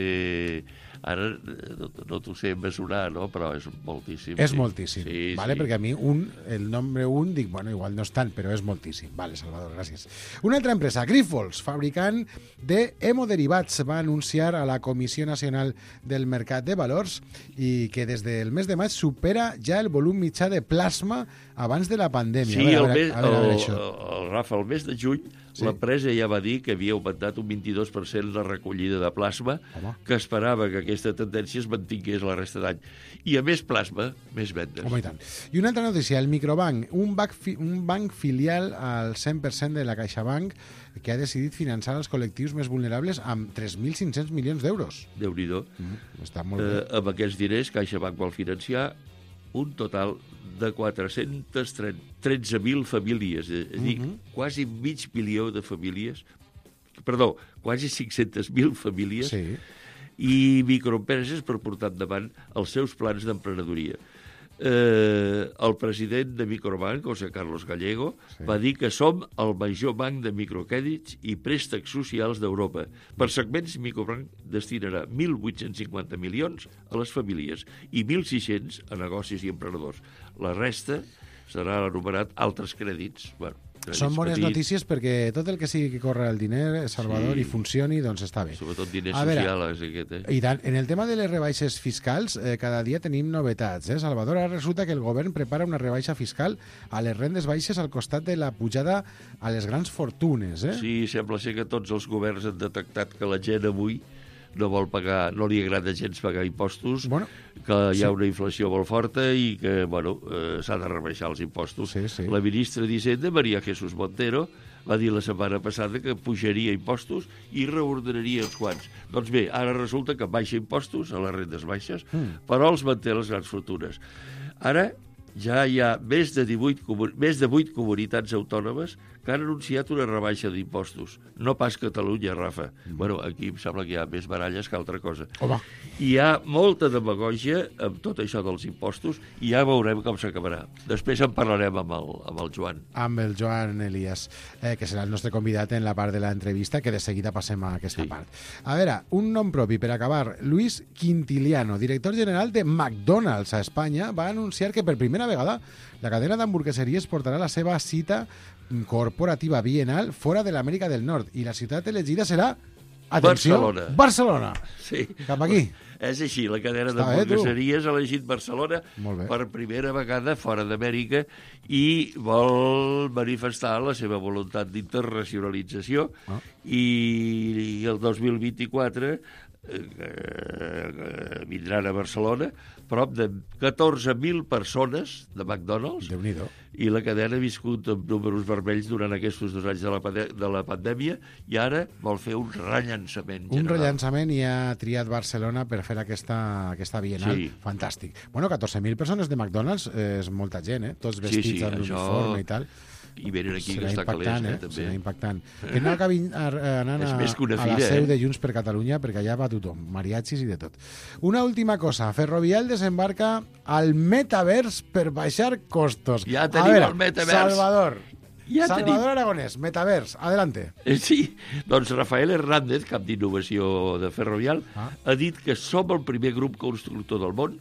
M: ara no, no t'ho sé mesurar, no? Però és moltíssim.
B: És
M: sí.
B: moltíssim,
M: sí,
B: vale?
M: sí.
B: Perquè a mi un, el nombre un, dic, bueno, igual no és tant, però és moltíssim. Vale, Salvador, gràcies. Una altra empresa, Grifols, fabricant de hemoderivats, va anunciar a la Comissió Nacional del Mercat de Valors i que des del mes de maig supera ja el volum mitjà de plasma abans de la pandèmia.
M: Sí,
B: a veure,
M: el, mes,
B: a veure, a veure,
M: el,
B: això.
M: el, el, Rafa, el mes de juny sí. l'empresa ja va dir que havia augmentat un vint-i-dos per cent la recollida de plasma, Home. que esperava que aquesta tendència es mantingués la resta d'any. I a més plasma, més vendes.
B: Home, i tant. I una altra notícia, el Microbank, un banc, fi, un banc filial al cent per cent de la CaixaBank que ha decidit finançar els col·lectius més vulnerables amb tres mil cinc-cents milions d'euros.
M: Déu-n'hi-do.
B: Mm, està molt bé.
M: Eh, amb aquests diners, CaixaBank vol financiar un total de quatre-cents tretze mil famílies, és a dir, uh -huh. quasi mig milió de famílies, perdó, quasi cinc-centes mil famílies
B: sí.
M: i microempreses per portar endavant els seus plans d'emprenedoria. Eh, el president de Microbank, José Carlos Gallego, sí. va dir que som el major banc de microcrèdits i préstecs socials d'Europa. Per segments, Microbank destinarà mil vuit-cents cinquanta milions a les famílies i mil sis-cents a negocis i emprenedors. La resta serà anomenat altres crèdits. Bueno,
B: són bones
M: petits.
B: notícies perquè tot el que sigui que corre el diner, Salvador, sí. i funcioni, doncs està bé.
M: Sobretot diner
B: a veure,
M: social, és aquest, eh?
B: I tant, en el tema de les rebaixes fiscals, eh, cada dia tenim novetats, eh, Salvador? Ara resulta que el govern prepara una rebaixa fiscal a les rendes baixes al costat de la pujada a les grans fortunes, eh?
M: Sí, sembla ser que tots els governs han detectat que la gent avui no vol pagar, no li agrada gens pagar impostos,
B: bueno,
M: que hi ha
B: sí.
M: una inflació molt forta i que, bueno, eh, s'ha de rebaixar els impostos.
B: Sí, sí.
M: La ministra d'Hisenda, María Jesús Montero, va dir la setmana passada que pujaria impostos i reordenaria els quants. Doncs bé, ara resulta que baixa impostos a les rendes baixes, mm. però els manté les grans fortunes. Ara ja hi ha més de divuit, més de vuit comunitats autònomes que han anunciat una rebaixa d'impostos. No pas Catalunya, Rafa. Mm. Bueno, aquí em sembla que hi ha més baralles que altra cosa.
B: Home.
M: Hi ha molta demagògia amb tot això dels impostos i ja veurem com s'acabarà. Després en parlarem amb el, amb el Joan.
B: Amb el Joan Elias, eh, que serà el nostre convidat en la part de l'entrevista, que de seguida passem a aquesta sí. part. A veure, un nom propi per acabar. Luis Quintiliano, director general de McDonald's a Espanya, va anunciar que per primera vegada la cadena d'hamburgueseries portarà la seva cita corporativa bienal fora de l'Amèrica del Nord i la ciutat elegida serà Atenció,
M: Barcelona.
B: Barcelona.
M: Sí.
B: Cap aquí.
M: És així, la cadena
B: Està bé, tu.
M: d'hamburgueseries ha elegit Barcelona per primera vegada fora d'Amèrica i vol manifestar la seva voluntat d'internacionalització
B: Ah.
M: i, i el dos mil vint-i-quatre eh, eh, vindran a Barcelona prop de catorze mil persones de McDonald's.
B: Déu-n'hi-do.
M: I la cadena ha viscut amb números vermells durant aquests dos anys de la, pande- de la pandèmia i ara vol fer un rellançament
B: Un
M: general.
B: rellançament i ha triat Barcelona per fer aquesta, aquesta bienal.
M: Sí.
B: Fantàstic. Bueno, catorze mil persones de McDonald's eh, és molta gent, eh? Tots vestits
M: Sí, sí,
B: amb
M: això-
B: l'uniforme i tal.
M: I venen aquí
B: Serà
M: que està
B: impactant,
M: calés, eh,
B: eh?
M: també.
B: Serà impactant. Que no acabi anant
M: És
B: a,
M: més que una
B: a la
M: fira,
B: seu
M: eh?
B: de Junts per Catalunya, perquè allà va tothom, mariachis i de tot. Una última cosa, Ferrovial desembarca al metavers per baixar costos.
M: Ja
B: A
M: tenim
B: veure,
M: el metavers.
B: Salvador,
M: Ja
B: Salvador
M: tenim.
B: Aragonès, metavers, adelante.
M: Eh, Sí, doncs Rafael Hernández, cap d'innovació de Ferrovial,
B: Ah.
M: ha dit que som el primer grup constructor del món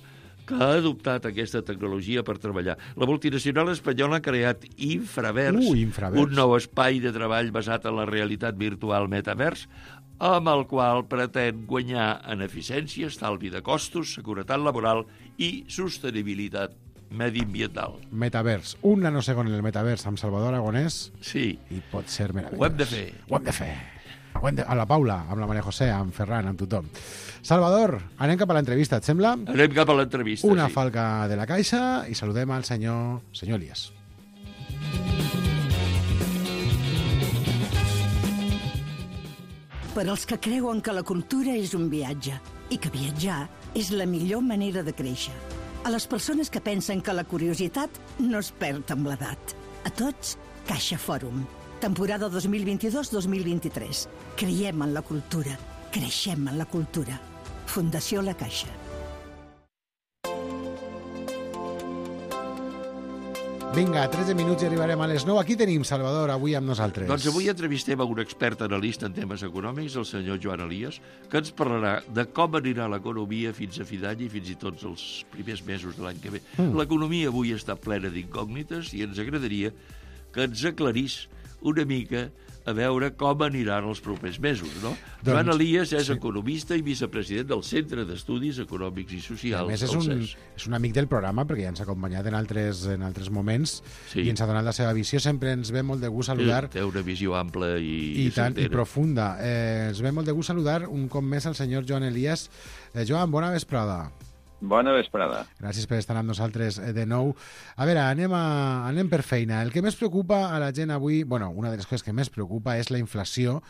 M: que ha adoptat aquesta tecnologia per treballar. La multinacional espanyola ha creat Infravers,
B: Uh, Infravers.
M: un nou espai de treball basat en la realitat virtual metavers, amb el qual pretén guanyar en eficiència, estalvi de costos, seguretat laboral i sostenibilitat mediambiental.
B: Metavers, un nanosegon en el metavers amb Salvador Aragonès
M: Sí.
B: i pot ser meravellós.
M: Ho hem de fer.
B: Ho hem de fer. Ho hem de... A la Paula, amb la Maria José, amb Ferran, amb tothom. Salvador, anem cap a l'entrevista, et sembla?
M: Anem cap a l'entrevista,
B: Una
M: sí.
B: falca de la Caixa i saludem al senyor, senyor Elias.
L: Per als que creuen que la cultura és un viatge i que viatjar és la millor manera de créixer. A les persones que pensen que la curiositat no es perd amb l'edat. A tots, Caixa Fòrum. Temporada dos mil vint-i-dos dos mil vint-i-tres. Creiem en la cultura. Creixem en la cultura. Fundació La Caixa.
B: Vinga, tretze minuts i arribarem a les nou. Aquí tenim Salvador, avui amb nosaltres.
M: Doncs avui entrevistem a un expert analista en temes econòmics, el senyor Joan Elias, que ens parlarà de com anirà l'economia fins a fi d'any i fins i tot els primers mesos de l'any que ve.
B: Mm.
M: L'economia avui està plena d'incògnites i ens agradaria que ens aclarís una mica a veure com aniran els propers mesos, no?
B: Doncs,
M: Joan Elias és
B: sí.
M: economista i vicepresident del Centre d'Estudis Econòmics i
B: A
M: Socials,
B: més, és
M: el
B: un,
M: C E S.
B: és un amic del programa perquè ja ens ha acompanyat en altres, en altres moments
M: Sí.
B: i ens ha donat la seva visió. Sempre ens ve molt de gust saludar
M: Té una visió ampla i,
B: i, tant, i
M: certera.
B: profunda. Eh, ens ve molt de gust saludar un cop més al senyor Joan Elias. Eh, Joan, bona vesprada.
N: Bona vesprada.
B: Gràcies per estar amb nosaltres eh, de nou. A veure, anem, a, anem per feina. El que més preocupa a la gent avui, bueno, una de les coses que més preocupa és la inflació.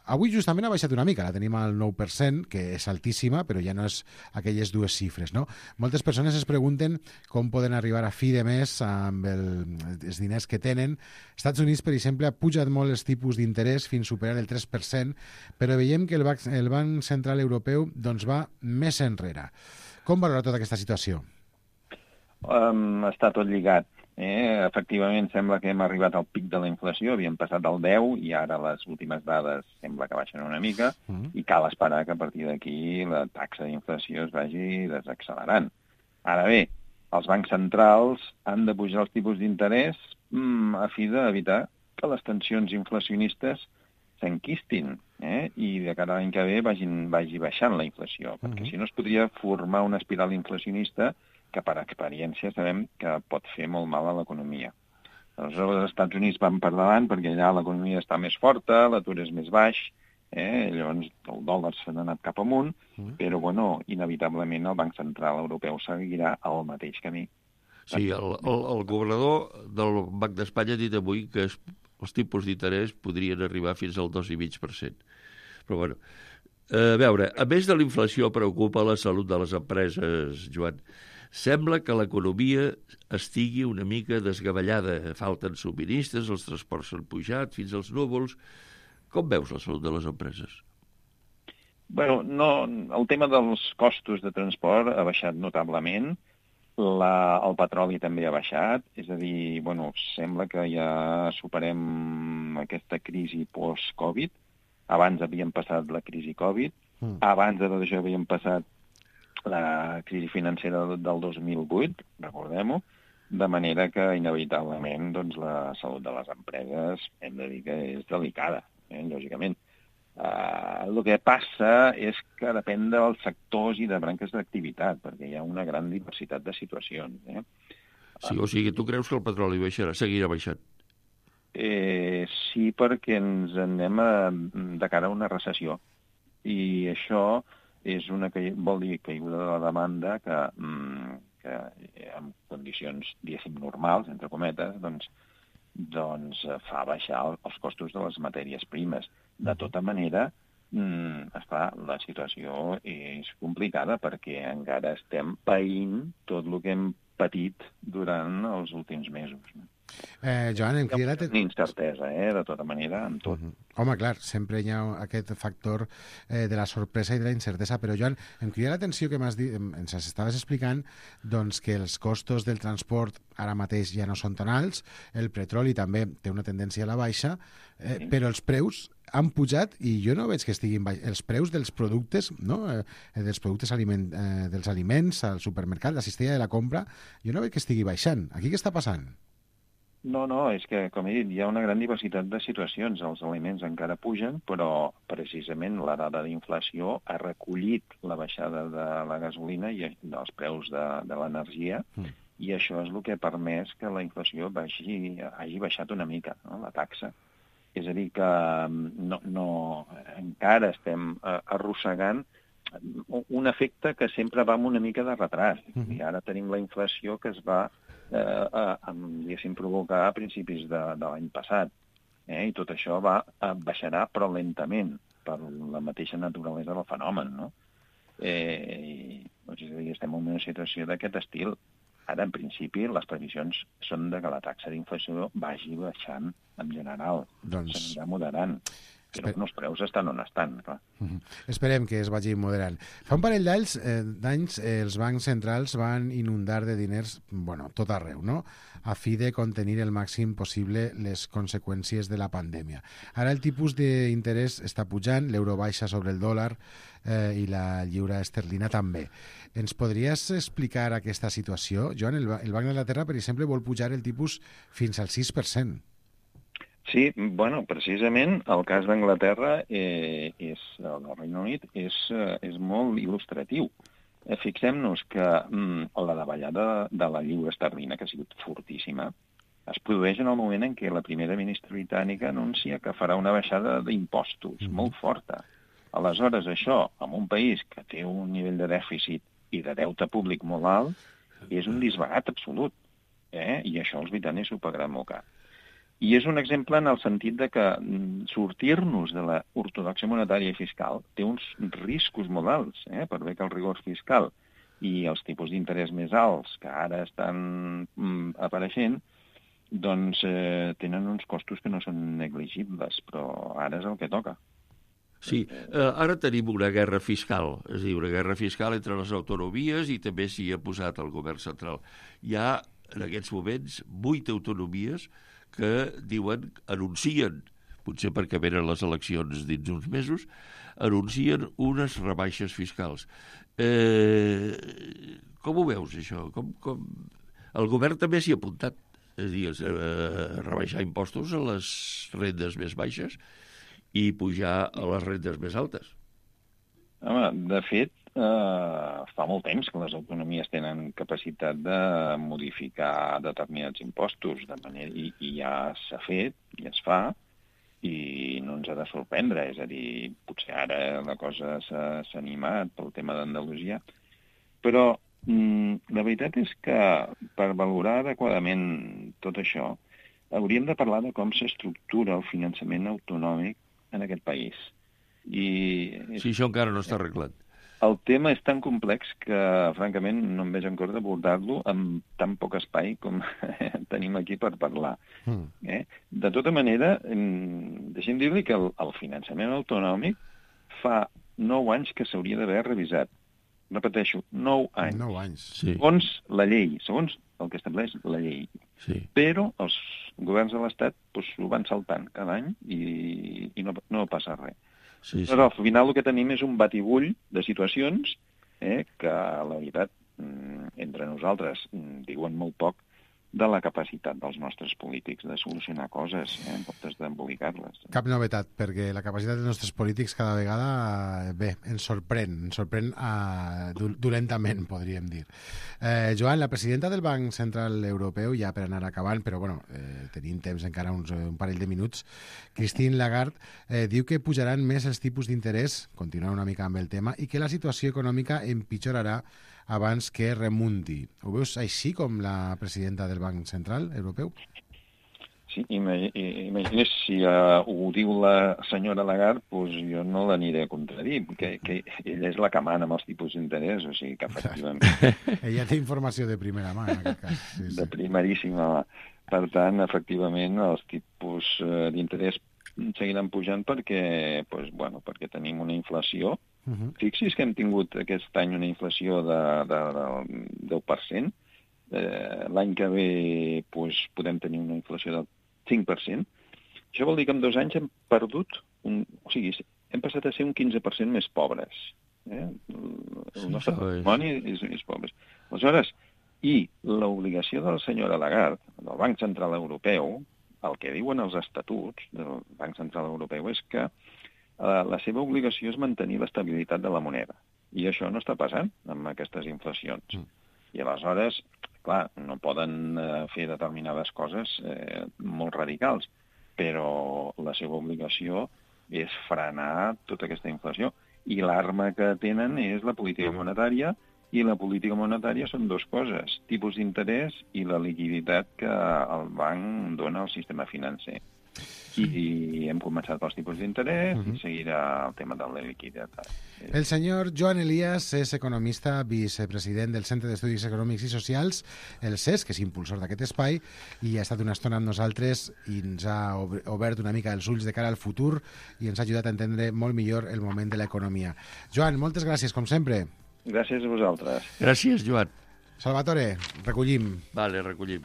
B: Avui justament ha baixat una mica, la tenim al nou per cent, que és altíssima, però ja no és aquelles dues xifres, no? Moltes persones es pregunten com poden arribar a fi de mes amb el, els diners que tenen. Estats Units, per exemple, ha pujat molt els tipus d'interès fins a superar el tres per cent, però veiem que el Banc, el Banc Central Europeu doncs, va més enrere. Com valora tota aquesta situació?
N: Um, està tot lligat. Eh? Efectivament, sembla que hem arribat al pic de la inflació, havíem passat del deu i ara les últimes dades sembla que baixen una mica
B: Mm.
N: i cal esperar que a partir d'aquí la taxa d'inflació es vagi desaccelerant. Ara bé, els bancs centrals han de pujar els tipus d'interès mm, a fi d'evitar que les tensions inflacionistes s'enquistin eh? i de cara a l'any que ve vagin, vagi baixant la inflació, perquè
B: Mhm.
N: si no es podria formar una espiral inflacionista que per experiència sabem que pot fer molt mal a l'economia. Aleshores, els Estats Units van per davant perquè allà l'economia està més forta, l'atur és més baix, eh? llavors el dòlar s'ha anat cap amunt,
B: Mm.
N: però, bueno, inevitablement el Banc Central Europeu seguirà el mateix camí.
M: Sí, el, el, el governador del Banc d'Espanya ha dit avui que es, els tipus d'interès podrien arribar fins al dos coma cinc per cent. Però, bueno, a veure, a més de la inflació preocupa la salut de les empreses, Joan. Sembla que l'economia estigui una mica desgavellada. Falten subministres, els transports s'han pujat fins als núvols. Com veus la salut de les empreses?
N: Bueno, no, el tema dels costos de transport ha baixat notablement, la, el petroli també ha baixat, és a dir, bueno, sembla que ja superem aquesta crisi post-Covid. Abans havíem passat la crisi Covid,
B: Mm.
N: abans de tot això havíem passat la crisi financera del dos mil vuit, recordem-ho, de manera que inevitablement doncs, la salut de les empreses hem de dir que és delicada, eh, lògicament. Uh, el que passa és que depèn dels sectors i de branques d'activitat, perquè hi ha una gran diversitat de situacions. Eh?
M: Sí, o sigui, tu creus que el petroli baixarà, seguirà baixant?
N: Eh, sí, perquè ens anem a, de cara a una recessió. I això és una, vol dir caiguda de la demanda que, que en condicions, diguéssim, normals, entre cometes, doncs, doncs fa baixar els costos de les matèries primes. De tota manera, mm, esclar, la situació és complicada perquè encara estem païnt tot el que hem patit durant els últims mesos.
B: Eh, Joan, em crida l'atenció...
N: Incertesa, eh, de tota manera, amb tot.
B: Uh -huh. Home, clar, sempre hi ha aquest factor eh, de la sorpresa i de la incertesa, però, Joan, em crida l'atenció que m'has dit, ens estaves explicant doncs, que els costos del transport ara mateix ja no són tan alts, el petroli també té una tendència a la baixa, eh, sí. però els preus han pujat i jo no veig que estiguin baix. Els preus dels productes, no? eh, dels productes aliment, eh, dels aliments al supermercat, la cistella de la compra, jo no veig que estigui baixant. Aquí què està passant?
N: No, no, és que, com he dit, hi ha una gran diversitat de situacions. Els aliments encara pugen, però precisament la dada d'inflació ha recollit la baixada de la gasolina i dels preus de, de l'energia, mm. i això és el que ha permès que la inflació baixi, hagi baixat una mica, no? La taxa. És a dir, que no, no, encara estem arrossegant un efecte que sempre va amb una mica de retras. Mm. I ara tenim la inflació que es va eh, eh, diguéssim, provocar a principis de, de l'any passat. Eh? I tot això va baixarà, però lentament, per la mateixa naturalesa del fenomen. No? Eh, i, doncs, és a dir, estem en una situació d'aquest estil. Ara, en principi, les previsions són de que la taxa d'inflació vagi baixant en general. Doncs... s'anirà moderant. Però Esper... els preus estan on estan, clar.
B: Uh -huh. Esperem que es vagi moderant. Fa un parell d'anys, eh, d'anys eh, els bancs centrals van inundar de diners, bueno, tot arreu, no?, a fi de contenir el màxim possible les conseqüències de la pandèmia. Ara el tipus d'interès està pujant, l'euro baixa sobre el dòlar eh, i la lliura esterlina també. Ens podries explicar aquesta situació? Joan, el, el Banc d'Anglaterra, per exemple, vol pujar el tipus fins al sis per cent.
N: Sí, bueno, precisament el cas d'Anglaterra, eh, és, el del Regne Unit, és, eh, és molt il·lustratiu. Eh, Fixem-nos que mm, la davallada de la lliura esterlina, que ha sigut fortíssima, es produeix en el moment en què la primera ministra britànica anuncia que farà una baixada d'impostos mm. molt forta. Aleshores, això, en un país que té un nivell de dèficit i de deute públic molt alt, és un disbarat absolut. Eh? I això els britànics ho pagaran molt car. I és un exemple en el sentit de que sortir-nos de la ortodoxia monetària i fiscal té uns riscos molt alts, eh? Per bé que el rigor fiscal i els tipus d'interès més alts que ara estan mm, apareixent, doncs eh, tenen uns costos que no són negligibles, però ara és el que toca.
M: Sí, eh, ara tenim una guerra fiscal, és a dir, una guerra fiscal entre les autonomies i també s'hi ha posat el govern central. Hi ha, en aquests moments, vuit autonomies que diuen, anuncien, potser perquè venen les eleccions dins uns mesos, anuncien unes rebaixes fiscals. Eh, com ho veus, això? Com, com... El govern també s'hi ha apuntat, és a dir, a rebaixar impostos a les rendes més baixes i pujar a les rendes més altes.
N: Home, de fet, eh, fa molt temps que les autonomies tenen capacitat de modificar determinats impostos, de manera, i, i ja s'ha fet, i es fa, i no ens ha de sorprendre. És a dir, potser ara la cosa s'ha animat pel tema d'Andalusia, però mm, la veritat és que per valorar adequadament tot això hauríem de parlar de com s'estructura el finançament autonòmic en aquest país. I...
M: Sí, això encara no està arreglat.
N: El tema és tan complex que, francament, no em veig en cor d'abordar-lo amb tan poc espai com tenim aquí per parlar. Mm. Eh? De tota manera, deixem dir-li que el, el finançament autonòmic fa nou anys que s'hauria d'haver revisat. Repeteixo, nou anys.
B: Nou anys.
M: Sí.
N: Segons la llei, segons el que estableix la llei.
M: Sí.
N: Però els governs de l'Estat doncs, ho van saltant cada any i, i no, no passa res.
M: Sí, sí.
N: Però al final el que tenim és un batibull de situacions eh, que, la veritat, entre nosaltres diuen molt poc de la capacitat dels nostres polítics de solucionar coses, eh, en comptes d'embolicar-les.
B: Cap novetat, perquè la capacitat dels nostres polítics cada vegada, bé, ens sorprèn, ens sorprèn uh, dolentament, podríem dir. Eh, Joan, la presidenta del Banc Central Europeu, ja per anar acabant, però bueno, eh, tenim temps encara uns, un parell de minuts, Christine Lagarde eh, diu que pujaran més els tipus d'interès, continuant una mica amb el tema, i que la situació econòmica empitjorarà abans que remunti. Ho veus així com la presidenta del Banc Central Europeu?
N: Sí, imagina't si uh, ho diu la senyora Lagarde, doncs jo no l'aniré a contradir, que, que ella és la que mana amb els tipus d'interès, o sigui que efectivament...
B: Ella té informació de primera mà, en aquest cas. Sí, sí.
N: De primeríssima mà. Per tant, efectivament, els tipus uh, d'interès seguiran pujant perquè, doncs, bueno, perquè tenim una inflació. Uh-huh. Fixi's que hem tingut aquest any una inflació de, de, del deu per cent. Eh, l'any que ve doncs, podem tenir una inflació del cinc per cent. Això vol dir que en dos anys hem perdut, un, o sigui, hem passat a ser un quinze per cent més pobres. Eh? El nostre patrimoni és, és pobres. Aleshores, i l'obligació de la senyora Lagarde, del Banc Central Europeu, el que diuen els estatuts del Banc Central Europeu és que la seva obligació és mantenir l'estabilitat de la moneda. I això no està passant amb aquestes inflacions. Mm. I aleshores, clar, no poden eh, fer determinades coses eh, molt radicals, però la seva obligació és frenar tota aquesta inflació. I l'arma que tenen és la política monetària, i la política monetària són dues coses, tipus d'interès i la liquiditat que el banc dona al sistema financer. I hem començat pels tipus d'interès uh-huh. i seguirà el tema de la liquiditat.
B: El senyor Joan Elias és economista, vicepresident del Centre d'Estudis Econòmics i Socials, el C E S, que és impulsor d'aquest espai, i ha estat una estona amb nosaltres i ens ha obert una mica els ulls de cara al futur i ens ha ajudat a entendre molt millor el moment de l'economia. Joan, moltes gràcies, com sempre.
N: Gràcies a vosaltres.
M: Gràcies, Joan.
B: Salvatore, recollim.
M: Vale, recollim.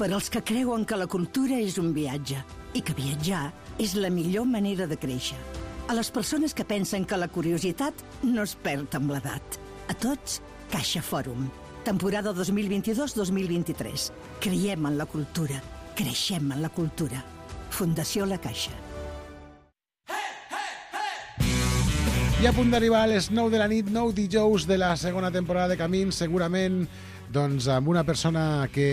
L: Per als que creuen que la cultura és un viatge i que viatjar és la millor manera de créixer. A les persones que pensen que la curiositat no es perd amb l'edat. A tots, Caixa Fòrum. Temporada dos mil vint-i-dos dos mil vint-i-tres. Creiem en la cultura. Creixem en la cultura. Fundació La Caixa.
B: I a punt d'arribar a les nou de la nit, nou dijous de la segona temporada de Camins, segurament doncs, amb una persona que...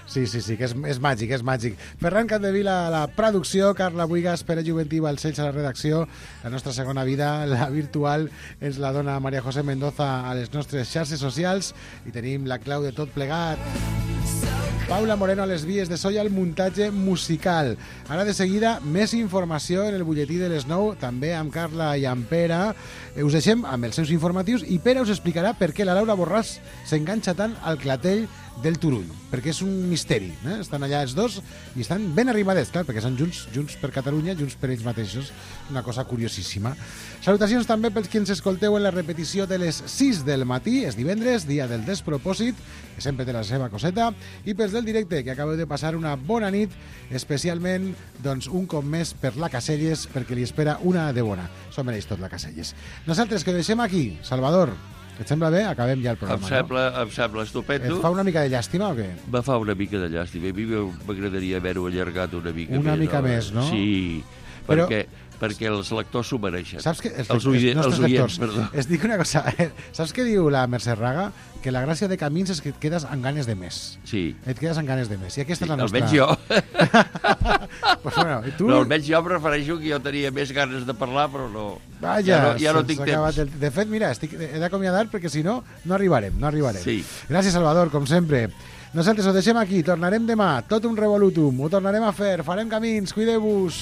B: Sí, sí, sí, que és, és màgic, és màgic. Ferran Capdevila a la producció, Carla Buigas, Pere Juventí, Balcells a la redacció. La nostra segona vida, la virtual, és la dona Maria José Mendoza a les nostres xarxes socials i tenim la clau de tot plegat. Paula Moreno a les vies de so i al muntatge musical. Ara de seguida, més informació en el butlletí de les nou, també amb Carla i amb Pere. Us deixem amb els seus informatius i Pere us explicarà per què la Laura Borràs s'enganxa tant al clatell del Turull, perquè és un misteri, eh? Estan allà els dos i estan ben arribadets, clar, perquè són junts, junts per Catalunya, junts per ells mateixos, una cosa curiosíssima. Salutacions també pels que ens escolteu en la repetició de les sis del matí, és divendres, dia del despropòsit, que sempre té la seva coseta, i pels del directe, que acabeu de passar una bona nit, especialment, doncs, un cop més per la Caselles, perquè li espera una de bona. S'ho mereix tot la Caselles. Nosaltres que ho deixem aquí, Salvador, et sembla bé? Acabem ja el programa,
M: em sembla, no? Em sembla estupendo.
B: Et fa una mica de llàstima o què?
M: Me fa una mica de llàstima. A mi m'agradaria haver-ho allargat una mica
B: una
M: més. Una
B: mica no? més, no?
M: Sí,
B: Però...
M: perquè, perquè els lectors s'ho mereixen.
B: Saps que els,
M: els, els,
B: els nostres
M: els oients,
B: lectors,
M: perdó.
B: Es dic una cosa, eh? Saps què diu la Mercè Raga? Que la gràcia de Camins és que et quedes amb ganes de més.
M: Sí.
B: Et quedes amb ganes de més. I aquesta
M: sí,
B: és la nostra...
M: Almenys jo.
B: pues bueno, i tu...
M: No, almenys jo prefereixo que jo tenia més ganes de parlar, però no...
B: Vaja,
M: ja no, ja no tinc temps.
B: El... De fet, mira, estic... he d'acomiadar perquè si no, no arribarem, no arribarem.
M: Sí.
B: Gràcies, Salvador, com sempre. Nosaltres ho deixem aquí, tornarem demà, tot un revolutum, ho tornarem a fer, farem camins, cuideu-vos.